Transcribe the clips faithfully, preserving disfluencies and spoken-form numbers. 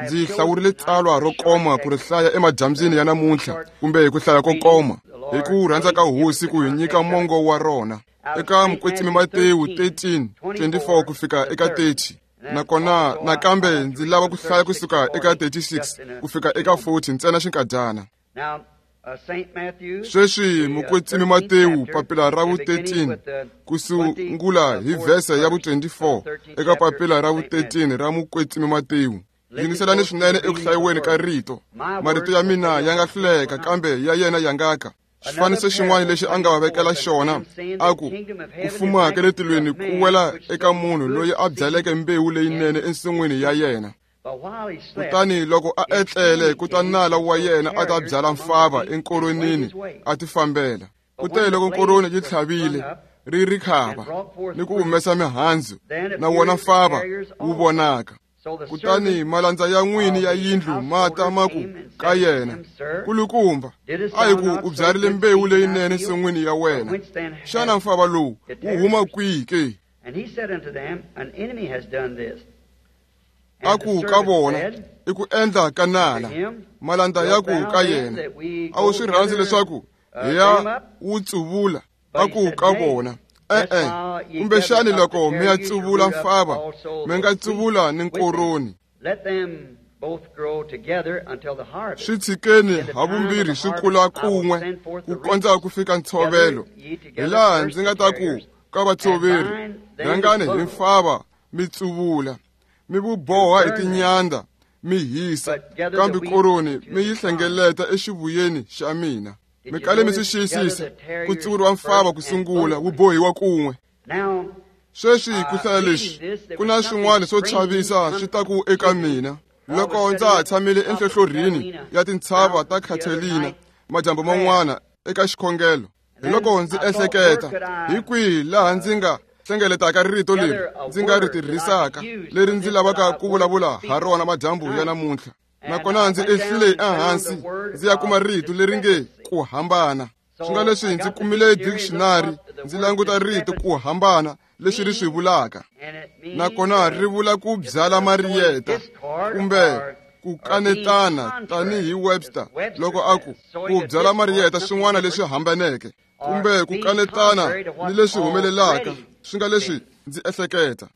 Ndzi hlawurile tsalwa ro koma ku ri hlaya emadyambyini ya namuntlha kumbe ku hlaya ko koma hi ku rhandza ka hosi ku hi nyika mongo wa rona eka Mukwetsimi Matewu thirteen twenty-four ku fika eka thirty. Nakona nakambe ndzi lava ku hlaya kusuka eka thirty-six ku fika eka forty ntsena xinkadyana. Sweswi Mukwetsimi Matewu papila ra vu thirteen ku sungula hi vhese ya vu twenty-four eka papila ra vu thirteen ra Mukwetsimi Matewu. Yingiselani swinene eku hlayiweni ka rito. Marito ya mina ya nga hluleka kambe ya yena ya nga ka. Xifaniso xin'wana lexi a nga va vekela xona a ku ku fuma ka le tilweni ku wela eka munhu loyi a byaleke mbewu leyinene ensin'wini ya yena. Kutani loko a etlele ku ta nala wa yena a ta byala mfava enkoronini a tifambela. Kute loko nkoroni yi tlhavile ri ri khava ni ku humesa mihandzu na wona mfava wu vonaka. Kutani malandza ya n'wini ya yindlu ma ta ma ku ka yena, kulukumba a hi ku u byarile mbewu leyinene ensin'wini ya wena, xana mfava lowu wu huma kwihi ke? A ku ka vona, i ku endla ka nala. Malandza ya ku ka yena, a wu swi rhandzi leswaku hi ya wu tsuvula? A ku ka vona, e-e, kumbexani loko mi ya tsuvula mfava mi nga tsuvula ni nkoroni. Swi tshikeni havumbirhi swi kula kun'we ku kondza ku fika ntshovelo, hi laha ndzi nga ta ku ka vatshoveri, rhangani hi mfava mi tsuvula, mi vu boha hi tinyanda mi hisa, kambe koroni mi yi hlengeleta exivuyeni xa mina. Mi kale mi swi xiyisisa ku tsuvuriwa mfava ku sungula wu bohiwa kun'we. Sweswi ku hlaya leswi ku na swin'wana swo chavisa swi ta ku eka mina. Loko ndza ha tshamile enhlohlorhini ya tintshava ta Catalina madyambu man'wana eka xikhongelo, hi loko ndzi ehleketa hi kwihi laha ndzi nga hlengeletaka rito leri ndzi nga ri tirhisaka leri ndzi lavaka ku vulavula ha rona madyambu ya namuntlha. Nakona ndzi ehlile ehansi ndzi ya kuma rito leri nge ku hambana. Swi nga leswi ndzi kumile dictionary ndzi languta rito ku hambana leswi ri swi vulaka. Nakona ri vula ku byala mariyeta kumbe ku kanetana tanihi Webster loko a ku ku byala mariyeta swin'wana leswi hambaneke kumbe ku kanetana ni leswi humelelaka. Swi nga leswi ndzi ehleketa.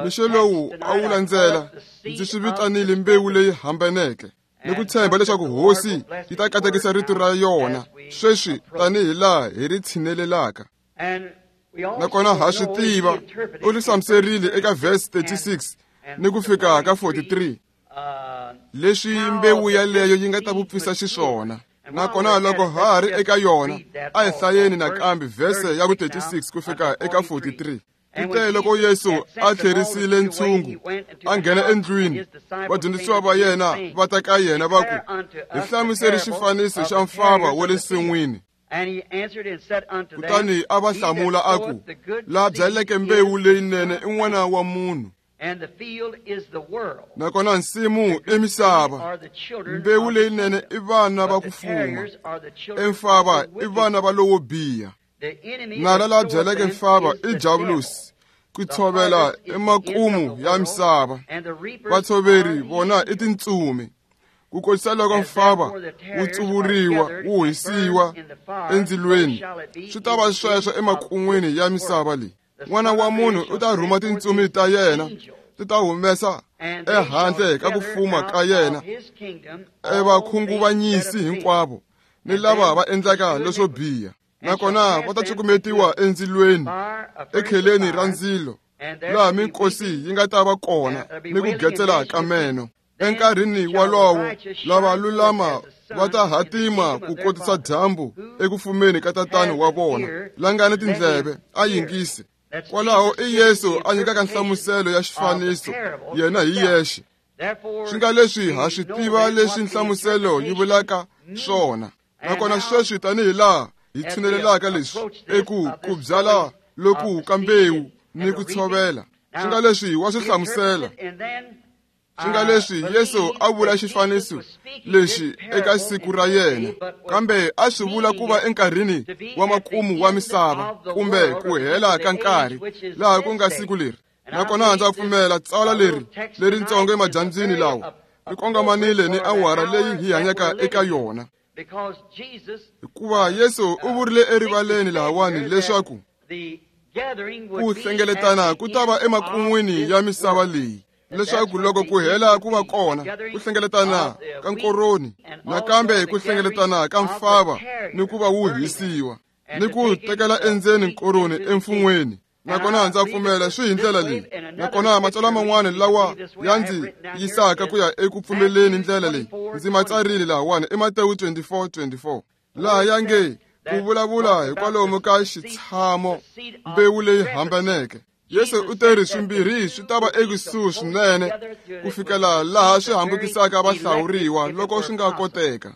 Mixo lowu a wu landzela ndzi swi vitanile mbewu leyi hambaneke ni ku tshemba leswaku hosi yi ta katekisa rito ra yona sweswi tanihi laha hi ri tshinelelaka. Nakona ha swi tiva u ri hlamuserile eka verse thirty-six ni ku fika ka forty-three leswi mbewu yaleyo yi nga ta vupfisa xiswona. Nakona loko ha ha ri eka yona a hi hlayeni nakambe verse ya ku thirty-six ku fika eka forty-three. Kute loko Yesu a tlherisile ntshungu a nghena endlwini, vadyondzisiwa va yena va ta ka yena va ku, hi hlamuseri xifaniso xa mfava wa le nsin'wini. Kutani a va hlamula a ku, la byaleke mbewu leyinene i n'wana wa munhu, nakona nsimu i misava. Mbewu leyinene i vana va ku fuma, emfava i vana va lowo biha. Nala la byaleke mfava i Diabolus, ku tshovela emakumu ya misava. Vatshoveri vona i tintsumi. Ku kotisa loko mfava wu tsuvuriwa wu hisiwa endzilweni, swi ta va sweswo emakun'wini ya misava leyi. N'wana wa munhu u ta rhuma tintsumi ta yena ti ta humesa ehandle ka ku fuma ka yena evakhunguvanyisi hinkwavo ni lava va endlaka leswo biha. Nakona va ta cukumetiwa endzilweni ekheleni ra ndzilo, laha minkosi yi nga ta va kona ni ku getsela ka meno. Enkarhini wolowo lava lulama va ta hatima ku kotisa dyambu eku fumeni ka tatana wa vona. La nga ni tindleve a yingise. Kwalaho i Yesu a nyikaka nhlamuselo ya xifaniso yena hi yexe. Swi nga leswi ha swi tiva leswi nhlamuselo yi vulaka swona. Nakona sweswi tanihi laha hi tshinelelaka leswi eku ku byala loku ka mbewu ni ku tshovela, swi nga leswi wa swi hlamusela. Swi nga leswi Yesu a vula xifaniso lexi eka siku ra yena, kambe a swi vula ku va enkarhini wa makumu wa misava kumbe ku hela ka nkarhi laha ku nga siku leri. Nakona ndza pfumela tsalwa leri leritsongo emadyambyini lawa ri kongomanile ni awara leyi hi hanyaka eka yona. Hikuva Yesu u vurile erivaleni lahawani leswaku ku hlengeletana ku ta va emakun'wini ya misava leyi, leswaku loko ku hela ku va kona ku hlengeletana ka nkoroni, nakambe ku hlengeletana ka mfava ni ku va wu hisiwa, ni ku tekela endzeni nkoroni emfun'weni. Nakona ndza pfumela swi hi ndlela leyi. Nakona matsalwa man'wana lawa ya ndzi yisaka ku ya eku pfumeleni ndlela leyi ndzi ma tsarile lahawani i Matewu twenty-four twenty-four, laha ya nge ku vulavula hikwalomu ka xitshamo mbewu leyi hambaneke. Yesu u teri swimbirhi swi ta va ekusuhi swinene ku fikela laha swi hambukisaka vahlawuriwa loko swi nga koteka.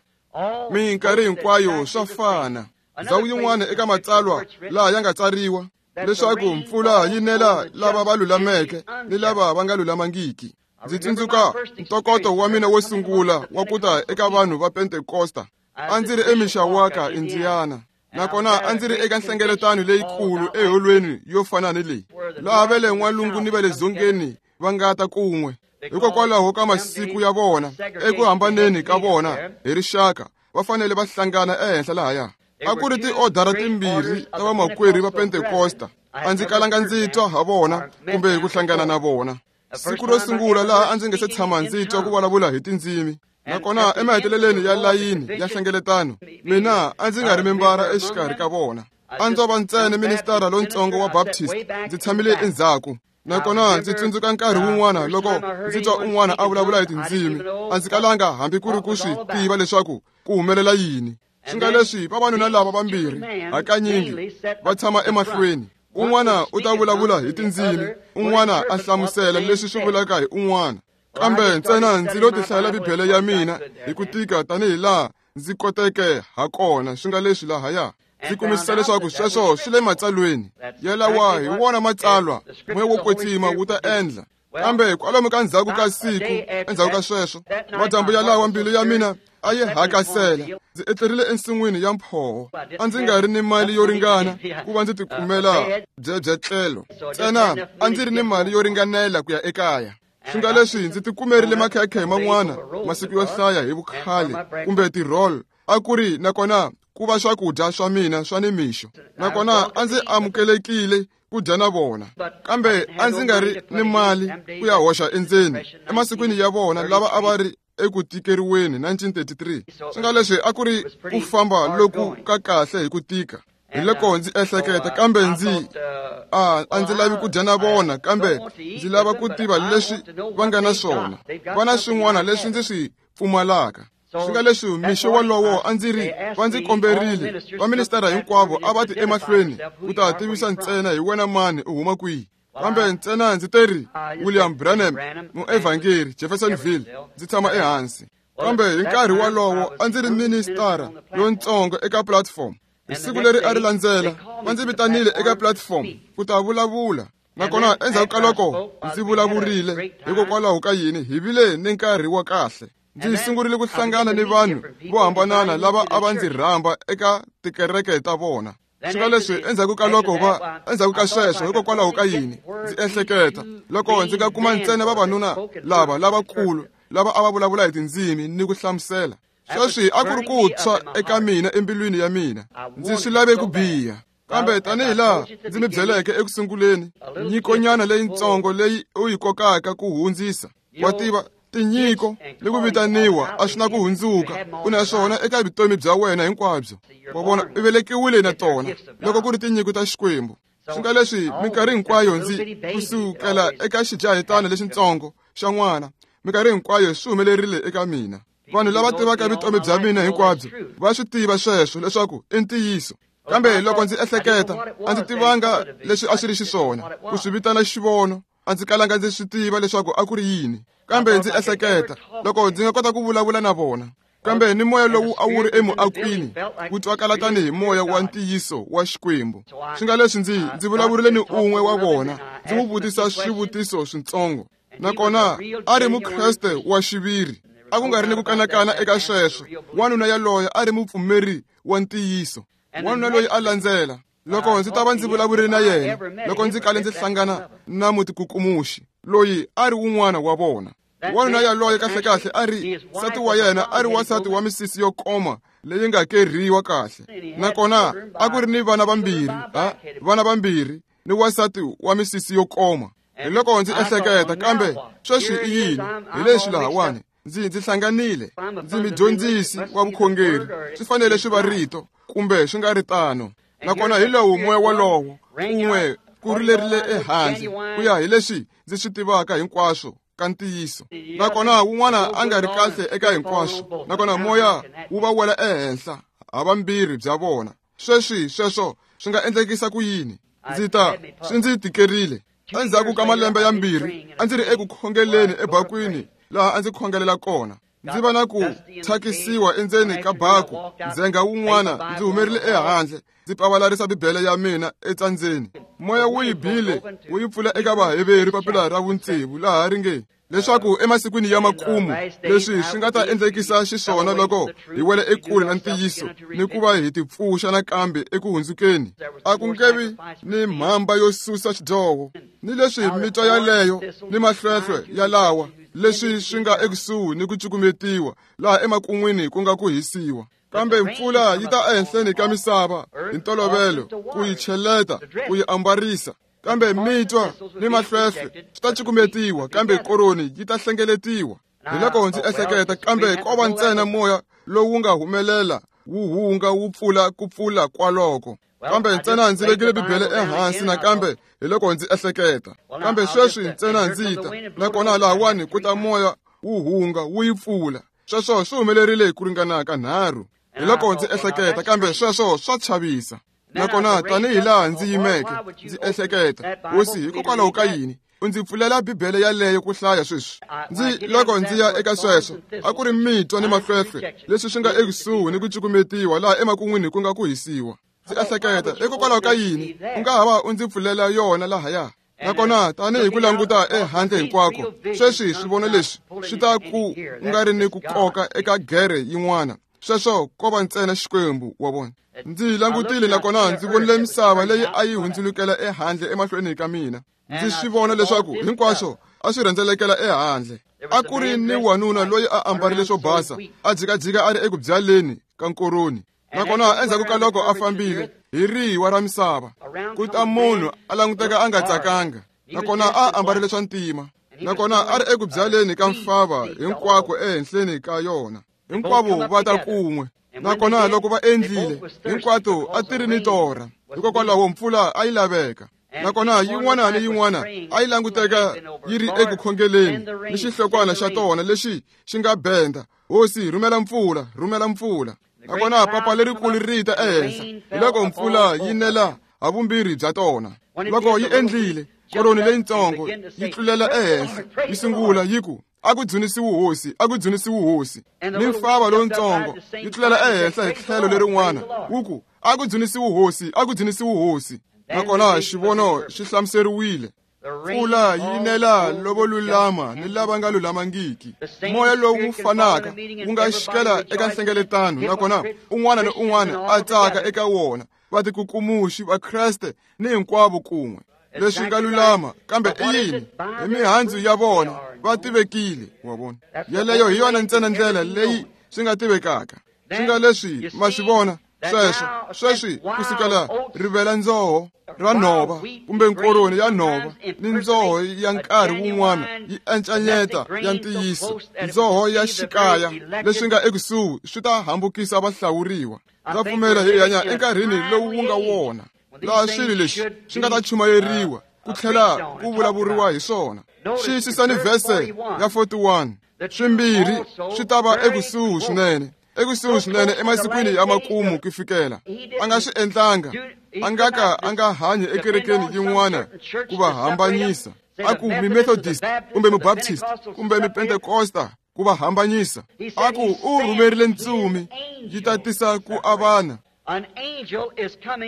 Minkarhi hinkwayo swa fana. Ndzhawu yin'wana eka matsalwa laha ya nga tsariwa leswaku mpfula yi nela lava va lulameke ni lava va nga lulamangiki. Ndzi tsundzuka ntokoto wa mina wo sungula wa ku ta eka vanhu va Pentekosta. A ndzi ri eMishawaka, Indiana. Nakona a ndzi ri eka nhlengeletano leyikulu eholweni yo fana ni leyi, laha va le n'walungu ni va le dzongeni va nga ta kun'we. Hikokwalaho ka masiku ya vona, eku hambaneni ka vona hi rixaka, va fanele va hlangana ehenhla lahaya. A ku ri tiodara timbirhi ta vamakwerhu va Pentekosta. A ndzi kalanga ndzi twa ha vona kumbe ku hlangana na vona. Siku ro sungula laha a ndzi nge se tshama ndzi twa ku vulavula hi tindzimi. Nakona emaheteleleni ya layini ya nhlengeletano, mina a ndzi nga ri membara exikarhi ka vona. A ndzo va ntsena ministara lontsongo wa Baptist, ndzi tshamile endzhaku. Nakona ndzi tsundzuka nkarhi wun'wana loko ndzi twa un'wana a vulavula hi tindzimi, a ndzi kalanga hambi ku ri ku swi tiva leswaku ku humelela yini. Swi nga leswi vavanuna lava vambirhi hakanyingi va tshama emahlweni. Un'wana u ta vulavula hi tindzimi, un'wana a hlamusela leswi swi vulaka hi un'wana. Kambe ntsena ndzi lo tihlayela Bibele ya mina hi ku tika tanihi laha ndzi koteke ha kona. Swi nga leswi lahaya ndzi kumisisa leswaku sweswo swi le matsalweni yalawa hi wona matsalwa moya wo kwetsima wu ta endla. Kambe kwalomu ka ndzhaku ka siku endzhaku ka sweswo, madyambu yalawa mbilu ya mina a yi hakasela. Ndzi etlerile ensin'wini ya mphoho. A ndzi nga ri ni mali yo ringana ku va ndzi tikumela byebyetlelo, ntsena a ndzi ri ni mali yo ringanela ku ya ekaya. Swi nga leswi ndzi tikumerile makhekhe man'wana masiku yo hlaya hi vukhale kumbe ti-roll a ku ri nakona ku va swakudya swa mina swa nimixo. Nakona a ndzi amukelekile ku dya na vona, kambe a ndzi nga ri ni mali ku ya hoxa endzeni emasikwini ya vona lava a va ri eku tikeriweni nineteen thirty-three. Swi nga leswi a ku ri ku famba loku ka kahle hi ku tika. Hi loko ndzi ehleketa, kambe ndzi a a ndzi lavi ku dya na vona, kambe ndzi lava ku tiva leswi va nga na swona. Va na swin'wana leswi ndzi swi pfumalaka. Swi nga leswi mixo wolowo a ndzi ri va ndzi komberile vaministara hinkwavo a va ti emahlweni ku ta tivisa ntsena hi wena mani u huma kwihi. Kambe ntsena ndzi teri William Branham, muevhangeri, Jeffersonville, ndzi tshama ehansi. Kambe hi nkarhi wolowo a ndzi ri ministara lontsongo eka platform. Hi siku leri a ri landzela va ndzi vitanile eka platform ku ta vulavula. Nakona endzhaku ka loko ndzi vulavurile, hikokwalaho ka yini hi vile ni nkarhi wa kahle. Ndzi sungurile ku hlangana ni vanhu vo hambanana lava a va ndzi rhamba eka tikereke ta vona. Swi nga leswi endzhaku ka loko va endzhaku ka sweswo, hikokwalaho ka yini ndzi ehleketa loko ndzi nga kuma ntsena vavanuna lava lavakulu lava a va vulavula hi tindzimi ni ku hlamusela. Sweswi a ku ri ku tshwa eka mina embilwini ya mina. Ndzi swi lave ku biha. Kambe tanihi laha ndzi mi byeleke eku sunguleni, nyikonyana leyitsongo leyi u yi kokaka ku hundzisa, wa tiva tinyiko ni ku vitaniwa a swi na ku hundzuka, u na swona eka vutomi bya wena hinkwabyo. Wa vona, u velekiwile na tona loko ku ri tinyiko ta Xikwembu. Swi nga leswi minkarhi hinkwayo ndzi kusukela eka xijahetana lexitsongo xa n'wana, minkarhi hinkwayo swi humelerile eka mina. Vanhu lava tivaka vutomi bya mina hinkwabyo va swi tiva sweswo leswaku i ntiyiso. Kambe loko ndzi ehleketa, a ndzi tivanga leswi a swi ri xiswona ku swi vitana xivono. A ndzi kalanga ndzi swi tiva leswaku a ku ri yini. Kambe ndzi ehleketa loko ndzi nga kota ku vulavula na vona. Kambe ni moya lowu a wu ri emuakwini wu twakala tanihi moya wa ntiyiso wa Xikwembu. Swi nga leswi ndzi ndzi vulavurile ni un'we wa vona, ndzi n'wi vutisa swivutiso switsongo. Nakona a ri Mukreste wa xiviri. A ku nga ri ni ku kanakana eka sweswo. Wanuna yaloye a ri mupfumeri wa ntiyiso. Wanuna loyi a landzela. Loko ndzi ta va ndzi vulavurile na yena, loko ndzi kale ndzi hlangana na mutikukumuxi loyi a ri wun'wana wa vona. Wanuna yaloye kahlekahle a ri nsati wa yena a ri wansati wa misisi yo koma leyi nga kerhiwa kahle, nakona a ku ri ni vana vambirhi, ha vana vambirhi ni wansati wa misisi yo koma. Hi loko ndzi ehleketa, kambe sweswi i yini? Hi leswi lahawani ndzi ndzi hlanganile, ndzi mudyondzisi wa vukhongeri, swi fanele swi va rito kumbe swi nga ri tano. Nakona hi lowu moya wolowo un'we ku rilerile ehandle ku ya hi leswi ndzi swi tivaka hinkwaswo ka ntiyiso. Nakona wun'wana a nga ri kahle eka hinkwaswo, nakona moya wu va wela ehenhla havambirhi bya vona. Sweswi sweswo swi nga endlekisa ku yini? Ndzi ta swi ndzi tikerile. Endzhaku ka malembe yambirhi a ndzi ri eku khongeleni ebakwini laha a ndzi khongelela kona. Ndzi va na ku thyakisiwa endzeni ka baku ndzhenga wun'wana ndzi humerile ehandle ndzi pavalarisa Bibele ya mina etsandzeni. Moya wu yi bile wu yi pfula eka Vaheveri papila ra vutsevu laha ri nge leswaku emasikwini ya makumu leswi swi nga ta endlekisa xiswona loko hi wela ekule na ntiyiso ni ku va hi tipfuxa nakambe eku hundzukeni, a ku nge vi ni mhamba yo susa xidyoho, ni leswi mitwa yaleyo ni mahlwehlwe yalawa leswi swi nga ekusuhi ni ku cukumetiwa laha emakun'wini ku nga ku hisiwa. Kambe mpfula yi ta ehenhleni ka misava hi ntolovelo ku yi cheleta, ku yi ambarisa. Kambe mitwa ni mahlwehlwe swi ta cukumetiwa, kambe koroni yi ta hlengeletiwa. Hi loko ndzi ehleketa, kambe ko va ntsena moya lowu nga humelela wu hunga wu pfula ku pfula kwaloko. Kambe ntsena ndzi vekile Bibele ehansi nakambe hi loko ndzi ehleketa, kambe sweswi ntsena ndzi ta, nakona lahawani ku ta moya wu hunga wu yi pfula. Sweswo swi humelerile ku ringana ka nharhu. Hi loko ndzi ehleketa, kambe sweswo swa chavisa. Nakona tanihi laha ndzi yimeke ndzi ehleketa, Hosi, hikokwalaho ka yini u ndzi pfulela Bibele yaleyo ku hlaya sweswi? Ndzi loko ndzi ya eka sweswo, a ku ri mitwa ni mahlwehlwe leswi swi nga ekusuhi ni ku cukumetiwa laha emakun'wini ku nga ku hisiwa. Ndzi ehleketa, hikokwalaho ka yini u nga ha va u ndzi pfulela yona lahaya? Nakona tanihi ku languta ehandle hinkwako, sweswi swivono leswi swi ta ku nga ri ni ku koka eka gere yin'wana. Sweswo ko va ntsena Xikwembu, wa vona. Ndzi langutile nakona ndzi vonile misava leyi a yi hundzulukela ehandle emahlweni ka mina. Ndzi swi vona leswaku hinkwaswo a swi rhendzelekela ehandle. A ku ri ni wanuna loyi a ambarile swo basa, a jikajika a ri eku byaleni ka nkoroni. Nakona endzhaku ka loko a fambile hi riwa ra misava, ku ta munhu a languteka a nga tsakanga, nakona a ambarile swa ntima, nakona a ri eku byaleni ka mfava hinkwako ehenhleni ka yona. Hinkwavo va ta kun'we. Nakona loko va endlile, hinkwato a ti ri ni torha, hikokwalaho mpfula a yi laveka. Nakona yin'wana ni yin'wana a yi languteka yi ri eku khongeleni ni xihlokwana xa tona lexi xi nga benda, Hosi, rhumela mpfula, rhumela mpfula. Nakona papa lerikulu ri ta ehenhla, hi loko mpfula yi nela havumbirhi bya tona. Loko yi endlile, koroni leyitsongo yi tlulela ehenhla, yi sungula yi ku, a ku dzunisiwe Hosi, a ku dzunisiwe Hosi. Ni mfava lowutsongo yi tlulela ehenhla hi tlhelo lerin'wana, wu ku, a ku dzunisiwe Hosi, a ku dzunisiwe Hosi. Nakona xivono xi hlamuseriwile. Mpfula yi nela lovo lulama ni lava nga lulamangiki. Moya lowu fanaka wu nga xikela eka nhlengeletano, nakona un'wana ni un'wana a tsaka eka wona, vatikukumuxi va Kreste ni hinkwavo kun'we. Leswi nga lulama, kambe i yini? Hi mihandzu ya vona va tivekile, wa vona. Yeleyo hi yona ntsena ndlela leyi swi nga tivekaka. Swi nga leswi ma swi vona sweswo, sweswi kusukela rivela ndzoho ra nhova kumbe nkoroni ya nhova ni ndzoho ya nkarhi wun'wana yi encanyeta ya ntiyiso, ndzoho ya xikaya leswi nga ekusuhi swi ta hambukisa vahlawuriwa. Ndza pfumela hi hanya enkarhini lowu wu nga wona, laha swilo leswi swi nga ta chumayeriwa ku tlhela ku vulavuriwa hi swona. Xiyisisani vhese ya forty-one. Swimbirhi swi ta va ekusuhi swinene, ekusuhi swinene emasikwini ya makumu ku fikela. A nga swi endlanga, a nga ka a nga hanyi ekerekeni yin'wana ku va hambanyisa, a ku mi-Methodist kumbe mi-Baptist kumbe mi-Pentecosta ku va hambanyisa. A ku u rhumerile ntsumi yi ta tisa ku avana.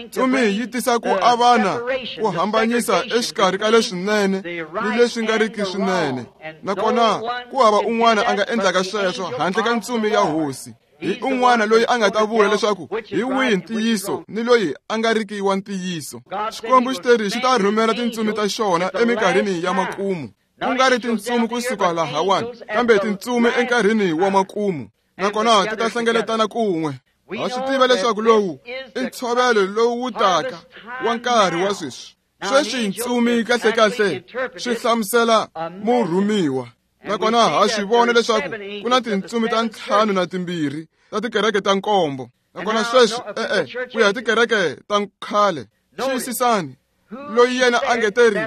Ntsumi yi tisa ku avana, ku hambanyisa exikarhi ka leswinene ni leswi nga riki swinene. Nakona ku hava un'wana a nga endlaka sweswo handle ka ntsumi ya Hosi. Hi un'wana loyi a nga ta vula leswaku hi wihi ntiyiso ni loyi a nga riki wa ntiyiso. Xikwembu xi teri xi ta rhumela tintsumi ta xona eminkarhini ya makumu, ku nga ri tintsumi kusuka lahawani, kambe tintsumi enkarhini wa makumu, nakona ti ta hlengeletana kun'we. Ha swi tiva leswaku lowu i ntshovelo lowu wu taka wa nkarhi wa sweswi. Sweswi ntsumi kahlekahle swi hlamusela murhumiwa, nakona ha swi vona leswaku ku na tintsumi ta ntlhanu na timbirhi ta tikereke ta nkombo. Nakona sweswi e-e ku ya hi tikereke ta khale. Xiyisisani, loyi yena a nge teri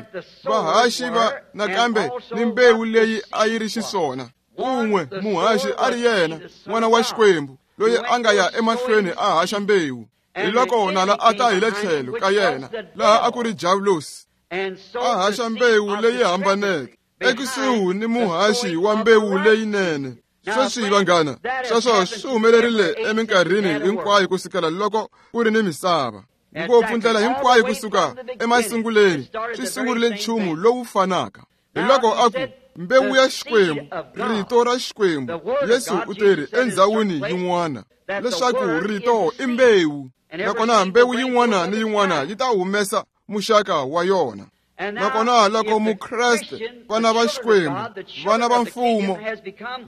vahaxi va nakambe ni mbewu leyi a yi ri xiswona. Un'we muhaxi a ri yena n'wana wa Xikwembu loyi a nga ya emahlweni a haxa mbewu. Hi loko nala a ta hi le tlhelo ka yena laha a ku ri Diablosi, a haxa mbewu leyi hambaneke ekusuhi ni muhaxi wa mbewu leyinene. Sweswi vanghana, sweswo swi humelerile eminkarhini hinkwayo kusukela loko ku ri ni misava. Ngopfu ndlela hinkwayo kusuka emasunguleni swi sungurile nchumu lowu fanaka. Hi loko a ku mbewu ya Xikwembu, rito ra Xikwembu. Yesu u teri endhawini yin'wana leswaku rito i mbewu, nakona mbewu yin'wana ni yin'wana yi ta humesa muxaka wa yona. Nakona loko Mukreste, vana va Xikwembu, vana va mfumo,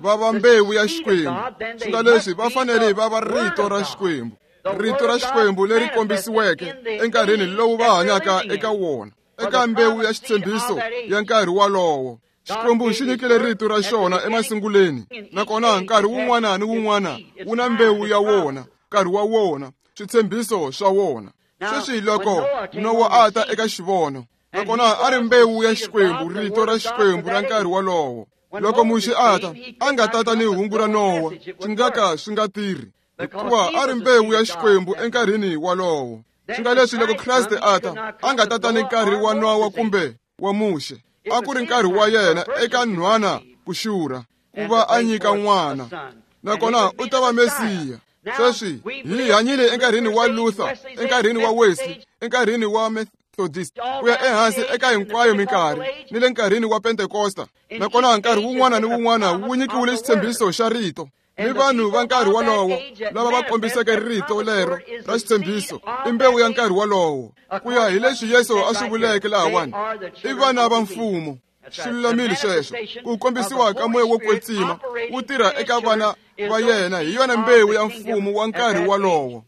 va va mbewu ya Xikwembu, swi nga leswi va fanele va va rito ra Xikwembu, rito ra Xikwembu leri kombisiweke enkarhini lowu va hanyaka eka wona, eka mbewu ya xitshembiso ya nkarhi walowo. Xikwembu xi nyikile rito ra xona emasunguleni, nakona nkarhi wun'wana ni wun'wana wu na mbewu ya wona, nkarhi wa wona, switshembiso swa wona. Sweswi loko Nowa a ta eka xivono, nakona a ri mbewu ya Xikwembu, rito ra Xikwembu ra nkarhi walowo. Loko Muxe a ta, a nga tata ni hungu ra Nowa, swi nga ka swi nga tirhi, hikuva a ri mbewu ya Xikwembu enkarhini walowo. Swi nga leswi loko Kreste a ta, a nga tata ni nkarhi wa Nowa kumbe wa Muxe. A ku ri nkarhi wa yena eka nhwana ku xurha, ku va a nyika n'wana, nakona u ta va Mesiya. Sweswi hi hanyile enkarhini wa Luther, enkarhini wa Wesley, enkarhini wa Methodist, ku ya ehansi eka hinkwayo minkarhi, ni le nkarhini wa Pentekosta. Nakona nkarhi wun'wana ni wun'wana wu nyikiwile xitshembiso xa rito. Ni vanhu va nkarhi walowo lava va kombiseke rito lero ra xitshembiso i mbewu ya nkarhi walowo, ku ya hi leswi Yesu a swi vuleke lahawani, i vana va mfumo. Swi lulamile sweswo. Ku kombisiwa ka moya wo kwetsima wu tirha eka vana va yena hi yona mbewu ya mfumo wa nkarhi walowo.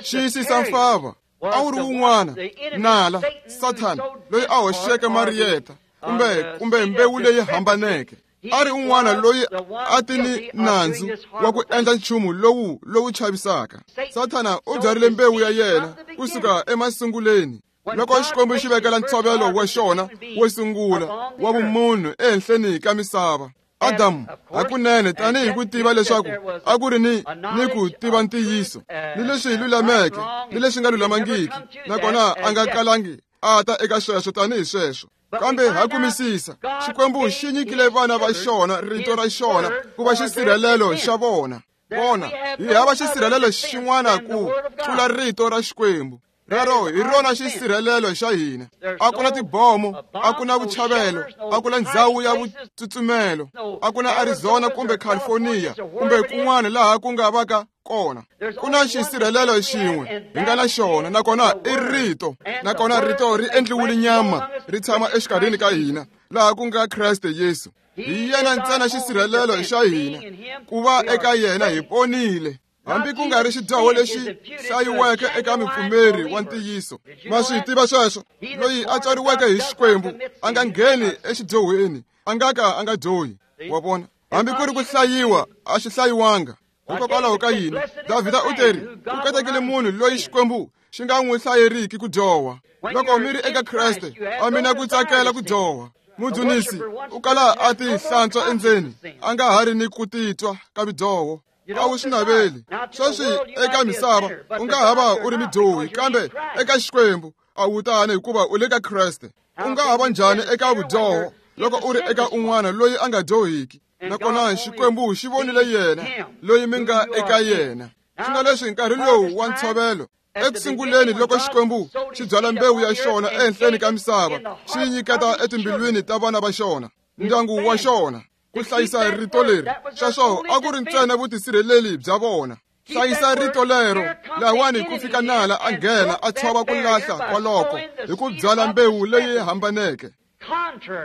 Xiyisisa mfava a wu ri wun'wana nala Sathana loyi a hoxeke mariyeta kumbe kumbe mbewu leyi hambaneke. A ri un'wana loyi a ti ni nandzu wa ku endla nchumu lowu lowu chavisaka. Sathana u byarile mbewu ya yena kusuka emasunguleni. Loko Xikwembu xi vekela ntshovelo wa xona wo sungula wa vumunhu ehenhleni ka misava, Adamu hakunene tanihi ku tiva leswaku a ku ri ni ni ku tiva ntiyiso ni leswi lulameke ni leswi nga lulamangiki, nakona a nga kalangi a ta eka sweswo tanihi sweswo. Kambe ha kumisisa, Xikwembu xi nyikile vana va xona rito ra xona ku va xisirhelelo xa vona. Vona, hi hava xisirhelelo xin'wana ku tlula rito ra Xikwembu. Rero hi rona xisirhelelo xa hina. A ku na tibomo, a ku na vuchavelo, a ku na ndhawu ya vutsutsumelo, a ku na Arizona kumbe California kumbe kun'wana laha ku nga vaka kona. Ku na xisirhelelo xin'we hi nga na xona, nakona i rito. Nakona rito ri endliwile nyama, ri tshama exikarhini ka hina, laha ku nga Kreste Yesu. Hi yena ntsena xisirhelelo xa hina. Ku va eka yena hi ponile. Hambi ku nga ri xidyoho lexi hlayiweke eka mupfumeri wa ntiyiso. Ma swi tiva sweswo, loyi a tswariweke hi Xikwembu a nga ngheni exidyohweni, a nga ka a nga dyohi. Wa vona, hambi ku ri ku hlayiwa a xi hlayiwanga. Hikokwalaho ka yini Davhida u teri ku katekile munhu loyi Xikwembu xi nga n'wi hlayeriki ku dyoha. Loko mi ri eka Kreste, a mi na ku tsakela ku dyoha. Mudzunisi u kala a ti hlantswa endzeni, a nga ha ri ni ku titwa ka vidyoho. A wu swi naveli. Sweswi eka misava u nga ha va u ri midyohi, kambe eka Xikwembu a wu tani hikuva u le ka Kreste. U nga ha va njhani eka vudyoho loko u ri eka un'wana loyi a nga dyohiki? Nakona Xikwembu xi vonile yena loyi mi nga eka yena. Swi nga leswi nkarhi lowu wa ntshovelo, ekusunguleni loko Xikwembu xi byala mbewu ya xona ehenhleni ka misava, xi yi nyiketa etimbilwini ta vana va xona, ndyangu wa xona. Ku hlayisa rito leri, sweswo a ku ri ntsena vutisirheleli bya vona. Hlayisa rito lero, lahawani ku fika nala a nghena a tshova ku lahla kwaloko hi ku byala mbewu leyi hambaneke,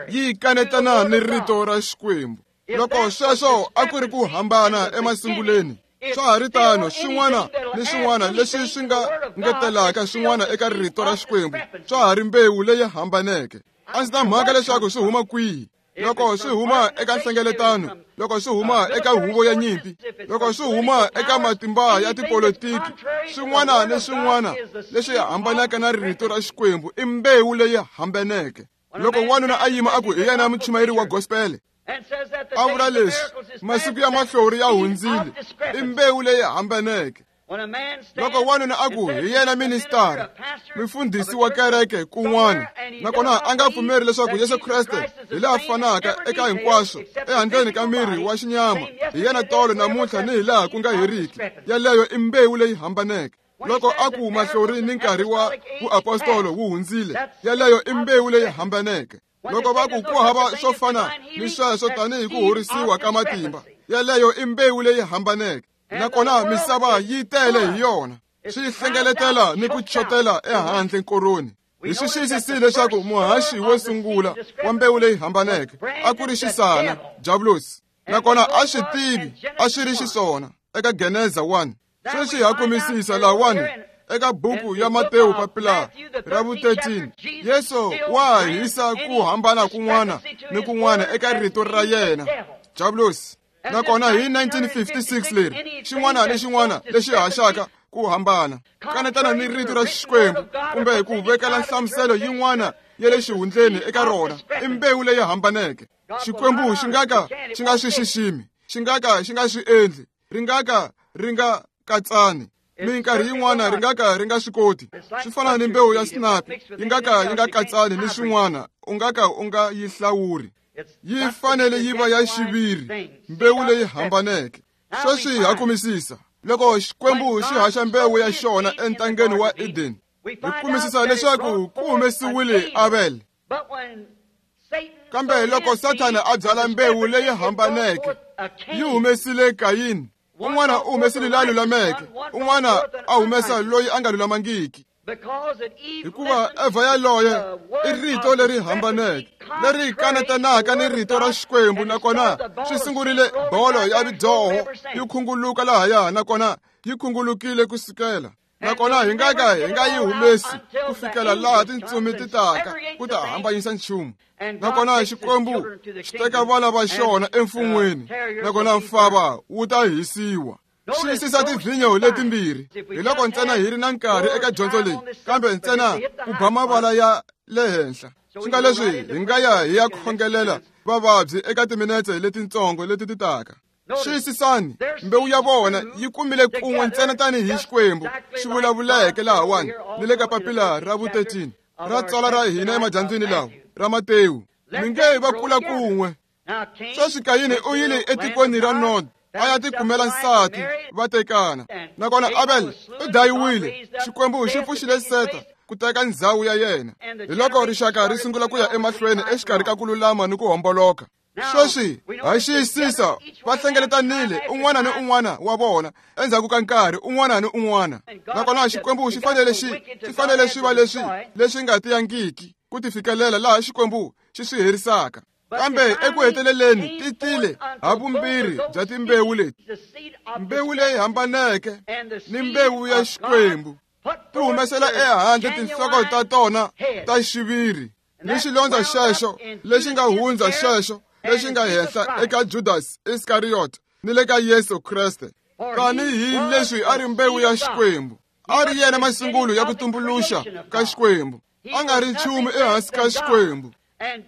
yi kanetana ni rito ra Xikwembu. Loko sweswo a ku ri ku hambana emasunguleni, swa ha ri tano swin'wana ni swin'wana leswi swi nga ngetelaka swin'wana eka rito ra Xikwembu, swa ha ri mbewu leyi hambaneke. A ndzi na mhaka leswaku swi huma kwihi. Loko swi huma eka nhlengeletano, loko swi huma eka huvo ya nyimpi, loko swi huma eka matimba ya tipolitiki, swin'wana ni swin'wana leswi hambanaka na rito ra Xikwembu i mbewu leyi hambaneke. Loko wanuna a yima a ku hi yena muchumayeri wa gospel, a vula leswi, masiku ya mahlori ya hundzile, i mbewu leyi hambaneke. Loko wanuna a ku hi yena ministara, mufundhisi wa kereke kun'wana, nakona a nga pfumeri leswaku Yesu Kreste hi laha fanaka eka hinkwaswo ehandleni ka miri wa xinyama, hi yena tolo namuntlha ni hi laha ku nga heriki, yaleyo i mbewu leyi hambaneke. Loko a ku mahlori ni nkarhi wa vuapostolo wu hundzile, yaleyo i mbewu leyi hambaneke. Loko va ku ku hava swo fana ni sweswo tanihi ku horisiwa ka matimba, yaleyo i mbewu leyi hambaneke. Nakona misava yi tele hi yona, swi hlengeletela ni ku chotela ehandle nkoroni. Hi swi xiyisisile leswaku muhaxi wo sungula wa mbewu leyi hambaneke a ku ri xisana, Diablosi. Nakona a swi tivi a swi ri xiswona eka Geneza one. Sweswi ha kumisisa lahawani eka buku ya Matewu papila ra vu thirteen, Yesu wa hisa ku hambana kun'wana ni kun'wana eka rito ra yena, Diablosi. Nakona hi nineteen fifty-six leri, xin'wana ni xin'wana lexi haxaka ku hambana, kanetana ni rito ra Xikwembu kumbe ku vekela nhlamuselo yin'wana ya le xihundleni eka rona, i mbewu leyi hambaneke. Xikwembu xi nga ka xi nga swi xiximi, xi nga ka xi nga swi endli, ri nga ka ri nga katsani, minkarhi yin'wana ri nga ka ri nga swi koti. Swi fana ni mbewu ya sinapi, yi nga ka yi nga katsani ni swin'wana, u nga ka u nga yi hlawuri. Yi fanele yi va ya xiviri, mbewu leyi hambaneke. Sweswi ha kumisisa loko Xikwembu xi haxa mbewu ya xona entangeni wa Eden, hi kumisisa leswaku ku humesiwile Abel. Kambe loko Sathana a byala mbewu leyi hambaneke, yi humesile Kayini. Un'wana u humesile la lulameke, un'wana a humesa loyi a nga lulamangiki. Hikuva Eva yaloye i rito leri hambaneke, leri kanetanaka ni rito ra Xikwembu, nakona swi sungurile bolo ya vidyoho yi khunguluka lahaya, nakona yi khungulukile ku sukela. Nakona hi nga ka hi nga yi humesi ku fikela laha tintsumi ti taka ku ta hambanyisa nchumu. Nakona Xikwembu xi teka vana va xona emfun'weni, nakona mfava wu ta hisiwa. Xiyisisa tivhinyo letimbirhi. Hi loko ntsena hi ri na nkarhi eka dyondzo leyi, kambe ntsena ku ba mavala ya le henhla. Swi nga leswi hi nga ya hi ya khongelela vavabyi eka timinetse letitsongo leti ti taka. Xiyisisani, mbewu ya vona yi kumile kun'we ntsena tanihi Xikwembu xi vulavuleke lahawani ni le ka papila ra vu thirteen ra tsala ra hina emadyambyini lawa ra Matewu. Mi nge va kula kun'we. Sweswi Kayini u yile etikweni ra Nod, a ya tikumela nsati, va tekana. Nakona Abel u dayiwile, Xikwembu xi pfuxile Seta ku teka ndzhawu ya yena. Hi loko rixaka ri sungula ku ya emahlweni exikarhi ka ku lulama ni ku homboloka. Sweswi ha xiyisisa va hlengeletanile un'wana ni un'wana wa vona endzhaku ka nkarhi un'wana ni un'wana. Nakona Xikwembu xi fanele xi xi fanele swi va leswi leswi nga tiyangiki ku ti fikelela laha Xikwembu xi swi herisaka. Kambe eku heteleleni ti tile ha vumbirhi bya timbewu leti, mbewu leyi hambaneke ni mbewu ya Xikwembu, ti humesela ehandle tinhloko ta tona ta xiviri ni xilondza xexo lexi nga hundza xexo lexi nga henhla eka Judas Iskariot ni le ka Yesu Kreste. Tanihi leswi a ri mbewu ya Xikwembu, a ri yena masungulo ya ku tumbuluxa ka Xikwembu, a nga ri nchumu ehansi ka Xikwembu.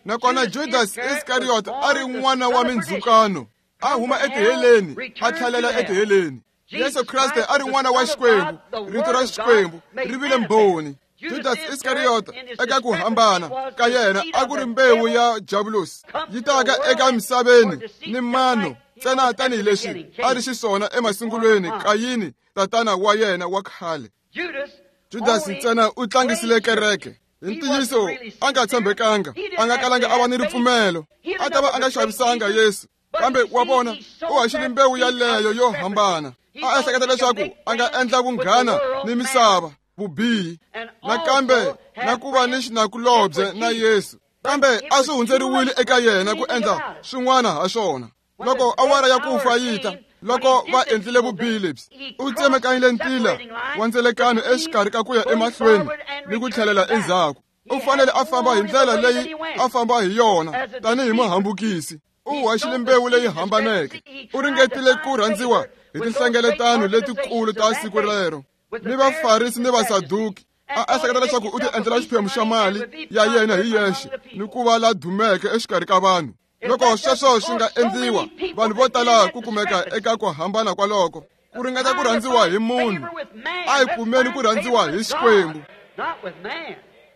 Nakona Judas Iskariot a ri n'wana wa mindzhukano, a huma etiheleni a tlhelela etiheleni. Yesu Kreste a ri n'wana wa Xikwembu, rito ra Xikwembu ri vile mbhoni. Judas Iskariot eka ku hambana ka yena a ku ri mbewu ya Diablosi, yi taka eka misaveni ni mano ntsena tanihileswi a ri xiswona emasungulweni Kayini tatana wa yena wa khale. Judas ntsena u tlangisile kereke. Hi ntiyiso a nga tshembekanga, a nga kalanga a va ni ripfumelo, a ta va a nga xavisanga Yesu, Kambe wa vona, u haxile mbewu yaleyo yo hambana. A ehleketa leswaku a nga endla vunghana ni misava, vubihi, nakambe na ku va ni xinakulobye na Yesu. Kambe a swi hundzeriwile eka yena ku endla swin'wana ha swona. Loko awara ya ku fa yi ta, loko va endlile vubihi lebyi, u tsemekanyile ntila wa ndzelekano exikarhi ka ku ya emahlweni ni ku tlhelela endzhaku. U fanele a famba hi ndlela leyi a famba hi yona tanihi muhambukisi. U haxile mbewu leyi hambaneke. U ringetile ku rhandziwa hi tinhlengeletano letikulu ta siku rero ni Vafarisi ni Vasaduki. A ehleketa leswaku u ti endlela xiphemu xa mali ya yena hi yexe ni ku va la dumeke exikarhi ka vanhu. Loko sweswo swi nga endliwa, vanhu vo tala ku kumeka eka ku hambana kwaloko. Ku ringeta ku rhandziwa hi munhu, a hi kumeni ku rhandziwa hi Xikwembu,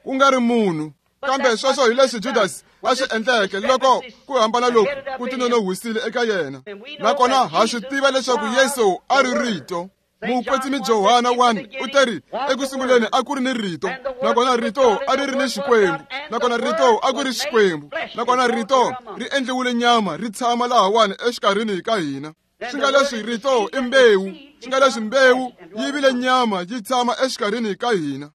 ku nga ri munhu. Kambe sweswo hi leswi Judas a swi endleke loko ku hambana loku ku tinonohwisile eka yena. Nakona ha swi tiva leswaku Yesu a ri Rito. Mukwetsimi Johana one u teri eku sunguleni a ku ri ni Rito, nakona Rito a ri ri ni Xikwembu, nakona Rito a ku ri Xikwembu, nakona Rito ri endliwile nyama ri tshama lahawani exikarhini ka hina. Swi nga leswi Rito i mbewu, swi nga leswi mbewu yi vile nyama yi tshama exikarhini ka hina.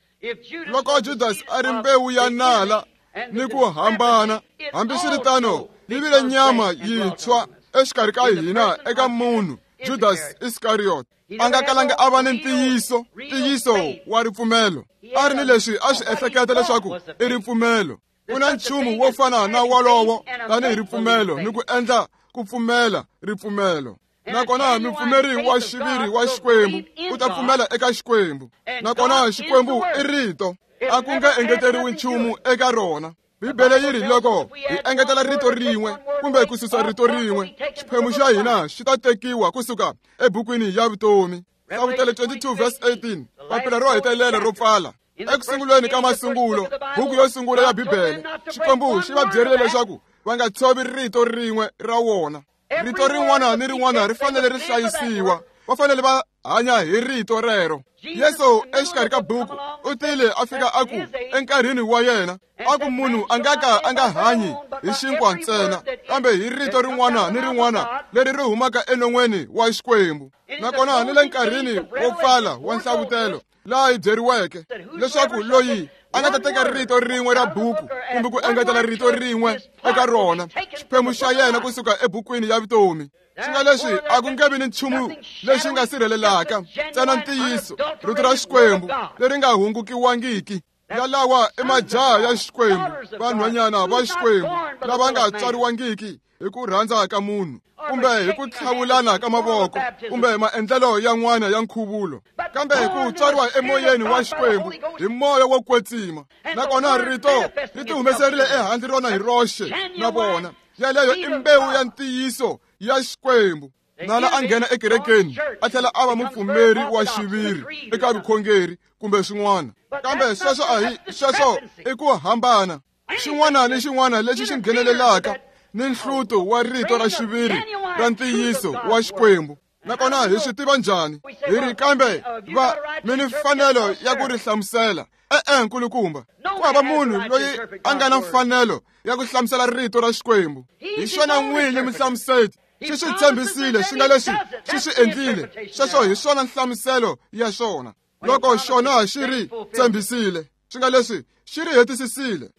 Loko Judas a ri mbewu ya nala ni ku hambana, hambiswiritano yi vile nyama yintshwa exikarhi ka hina eka munhu Judas Iscariot. A nga kalanga a va ni ntiyiso, ntiyiso wa ripfumelo. A ri ni leswi a swi ehleketa leswaku i ripfumelo. Ku na nchumu wo fana na wolowo tanihi ripfumelo ni ku endla ku pfumela ripfumelo. Nakona mupfumeri wa xiviri wa Xikwembu u ta pfumela eka Xikwembu. Nakona Xikwembu i Rito, a ku nge engeteriwi nchumu eka rona. Bibele yi ri loko hi engetela rito rin'we kumbe ku susa rito rin'we, xiphemu xa hina xi ta tekiwa kusuka ebukwini ya vutomi. Hlavutelo twenty-two verse eighteen, papila ro hetelela ro pfala. Eku sunguleni ka masungulo, buku yo sungula ya Bibele, Xikwembu xi va byerile leswaku va nga tshovi rito rin'we ra wona. Rito rin'wana ni rin'wana ri fanele ri hlayisiwa. Va fanele va hanya hi rito rero. Yesu exikarhi ka buku u tile a fika a ku enkarhini wa yena, a ku munhu a nga ka a nga hanyi hi xinkwa ntsena, kambe hi rito rin'wana ni rin'wana leri ri humaka enon'weni wa Xikwembu. Nakona ni le nkarhini wo pfala wa nhlavutelo laha hi byeriweke leswaku loyi a nga ta teka rito rin'we ra buku kumbe ku engetela rito rin'we eka rona, xiphemu xa yena kusuka ebukwini ya vutomi. Swi nga leswi a ku nge vi ni nchumu lexi nga sirhelelaka ntsena ntiyiso, rito ra Xikwembu leri nga hungukiwangiki. Yalawa i majaha ya Xikwembu, vanhwanyana va Xikwembu lava nga tswariwangiki hi ku rhandza ka munhu kumbe hi ku tlhavulana ka mavoko kumbe maendlelo yan'wana ya nkhuvulo, kambe hi ku tswariwa emoyeni wa Xikwembu hi moya wo kwetsima. Nakona rito ri tihumeserile ehandle rona hi roxe na vona. Yaleyo i mbewu ya ntiyiso ya Xikwembu. Nala a nghena ekerekeni a tlhela a va mupfumeri wa xiviri eka vukhongeri kumbe swin'wana, kambe sweswo a hi sweswo i ku hambana. Xin'wana ni xin'wana lexi xi nghenelelaka ni nhluto wa rito ra xiviri ra ntiyiso wa Xikwembu. Nakona hi swi tiva njhani? Hi ri kambe va mi ni mfanelo ya ku ri hlamusela. E-e, nkulukumba, ku hava munhu loyi a nga na mfanelo ya ku hlamusela rito ra Xikwembu. Hi xona n'winyi muhlamuseti. Xi swi tshembisile, swi nga leswi xi swi endlile. Sweswo hi swona nhlamuselo ya xona. Loko xona xi ri tshembisile, swi nga leswi xi ri hetisisile.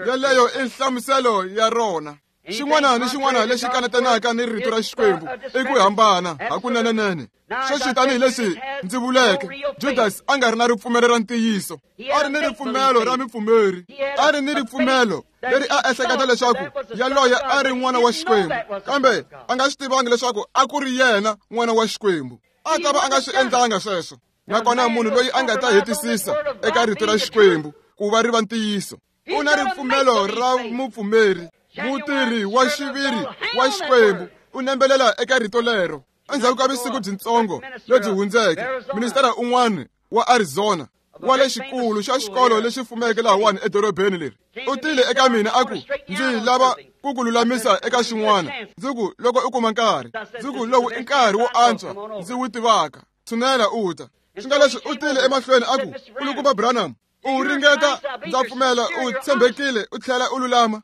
Yaleyo i nhlamuselo ya rona. Xin'wana ni xin'wana lexi kanetanaka ni rito ra Xikwembu i ku hambana hakunenenene. Sweswi tanihileswi ndzi vuleke, Judas a nga ri na ripfumelo ra ntiyiso. A ri ni ripfumelo ra mupfumeri. A ri ni ripfumelo leri a ehleketa leswaku yaloye a ri n'wana wa Xikwembu, kambe a nga swi tivangi leswaku a ku ri yena n'wana wa Xikwembu. A ta va a nga swi endlanga sweswo. Nakona munhu loyi a nga ta hetisisa eka rito ra Xikwembu ku va ri va ntiyiso, u na ripfumelo ra mupfumeri. Mutirhi wa xiviri wa Xikwembu u nembelela eka rito lero. Endzhaku ka vusiku byitsongo lebyi hundzeke, ministara un'wana wa Arizona wa le xikulu xa xikolo lexi fumeke lahawani edorobeni leri u tile eka mina a ku, ndzi lava ku ku lulamisa eka xin'wana. Ndzi ku, loko u kuma nkarhi, ndzi ku lowu i nkarhi wo antswa ndzi wu tivaka, tshunela u ta. Swi nga leswi u tile emahlweni a ku, Nkulukumba Branham, U ringeta, ndza pfumela, u tshembekile, u tlhela u lulama.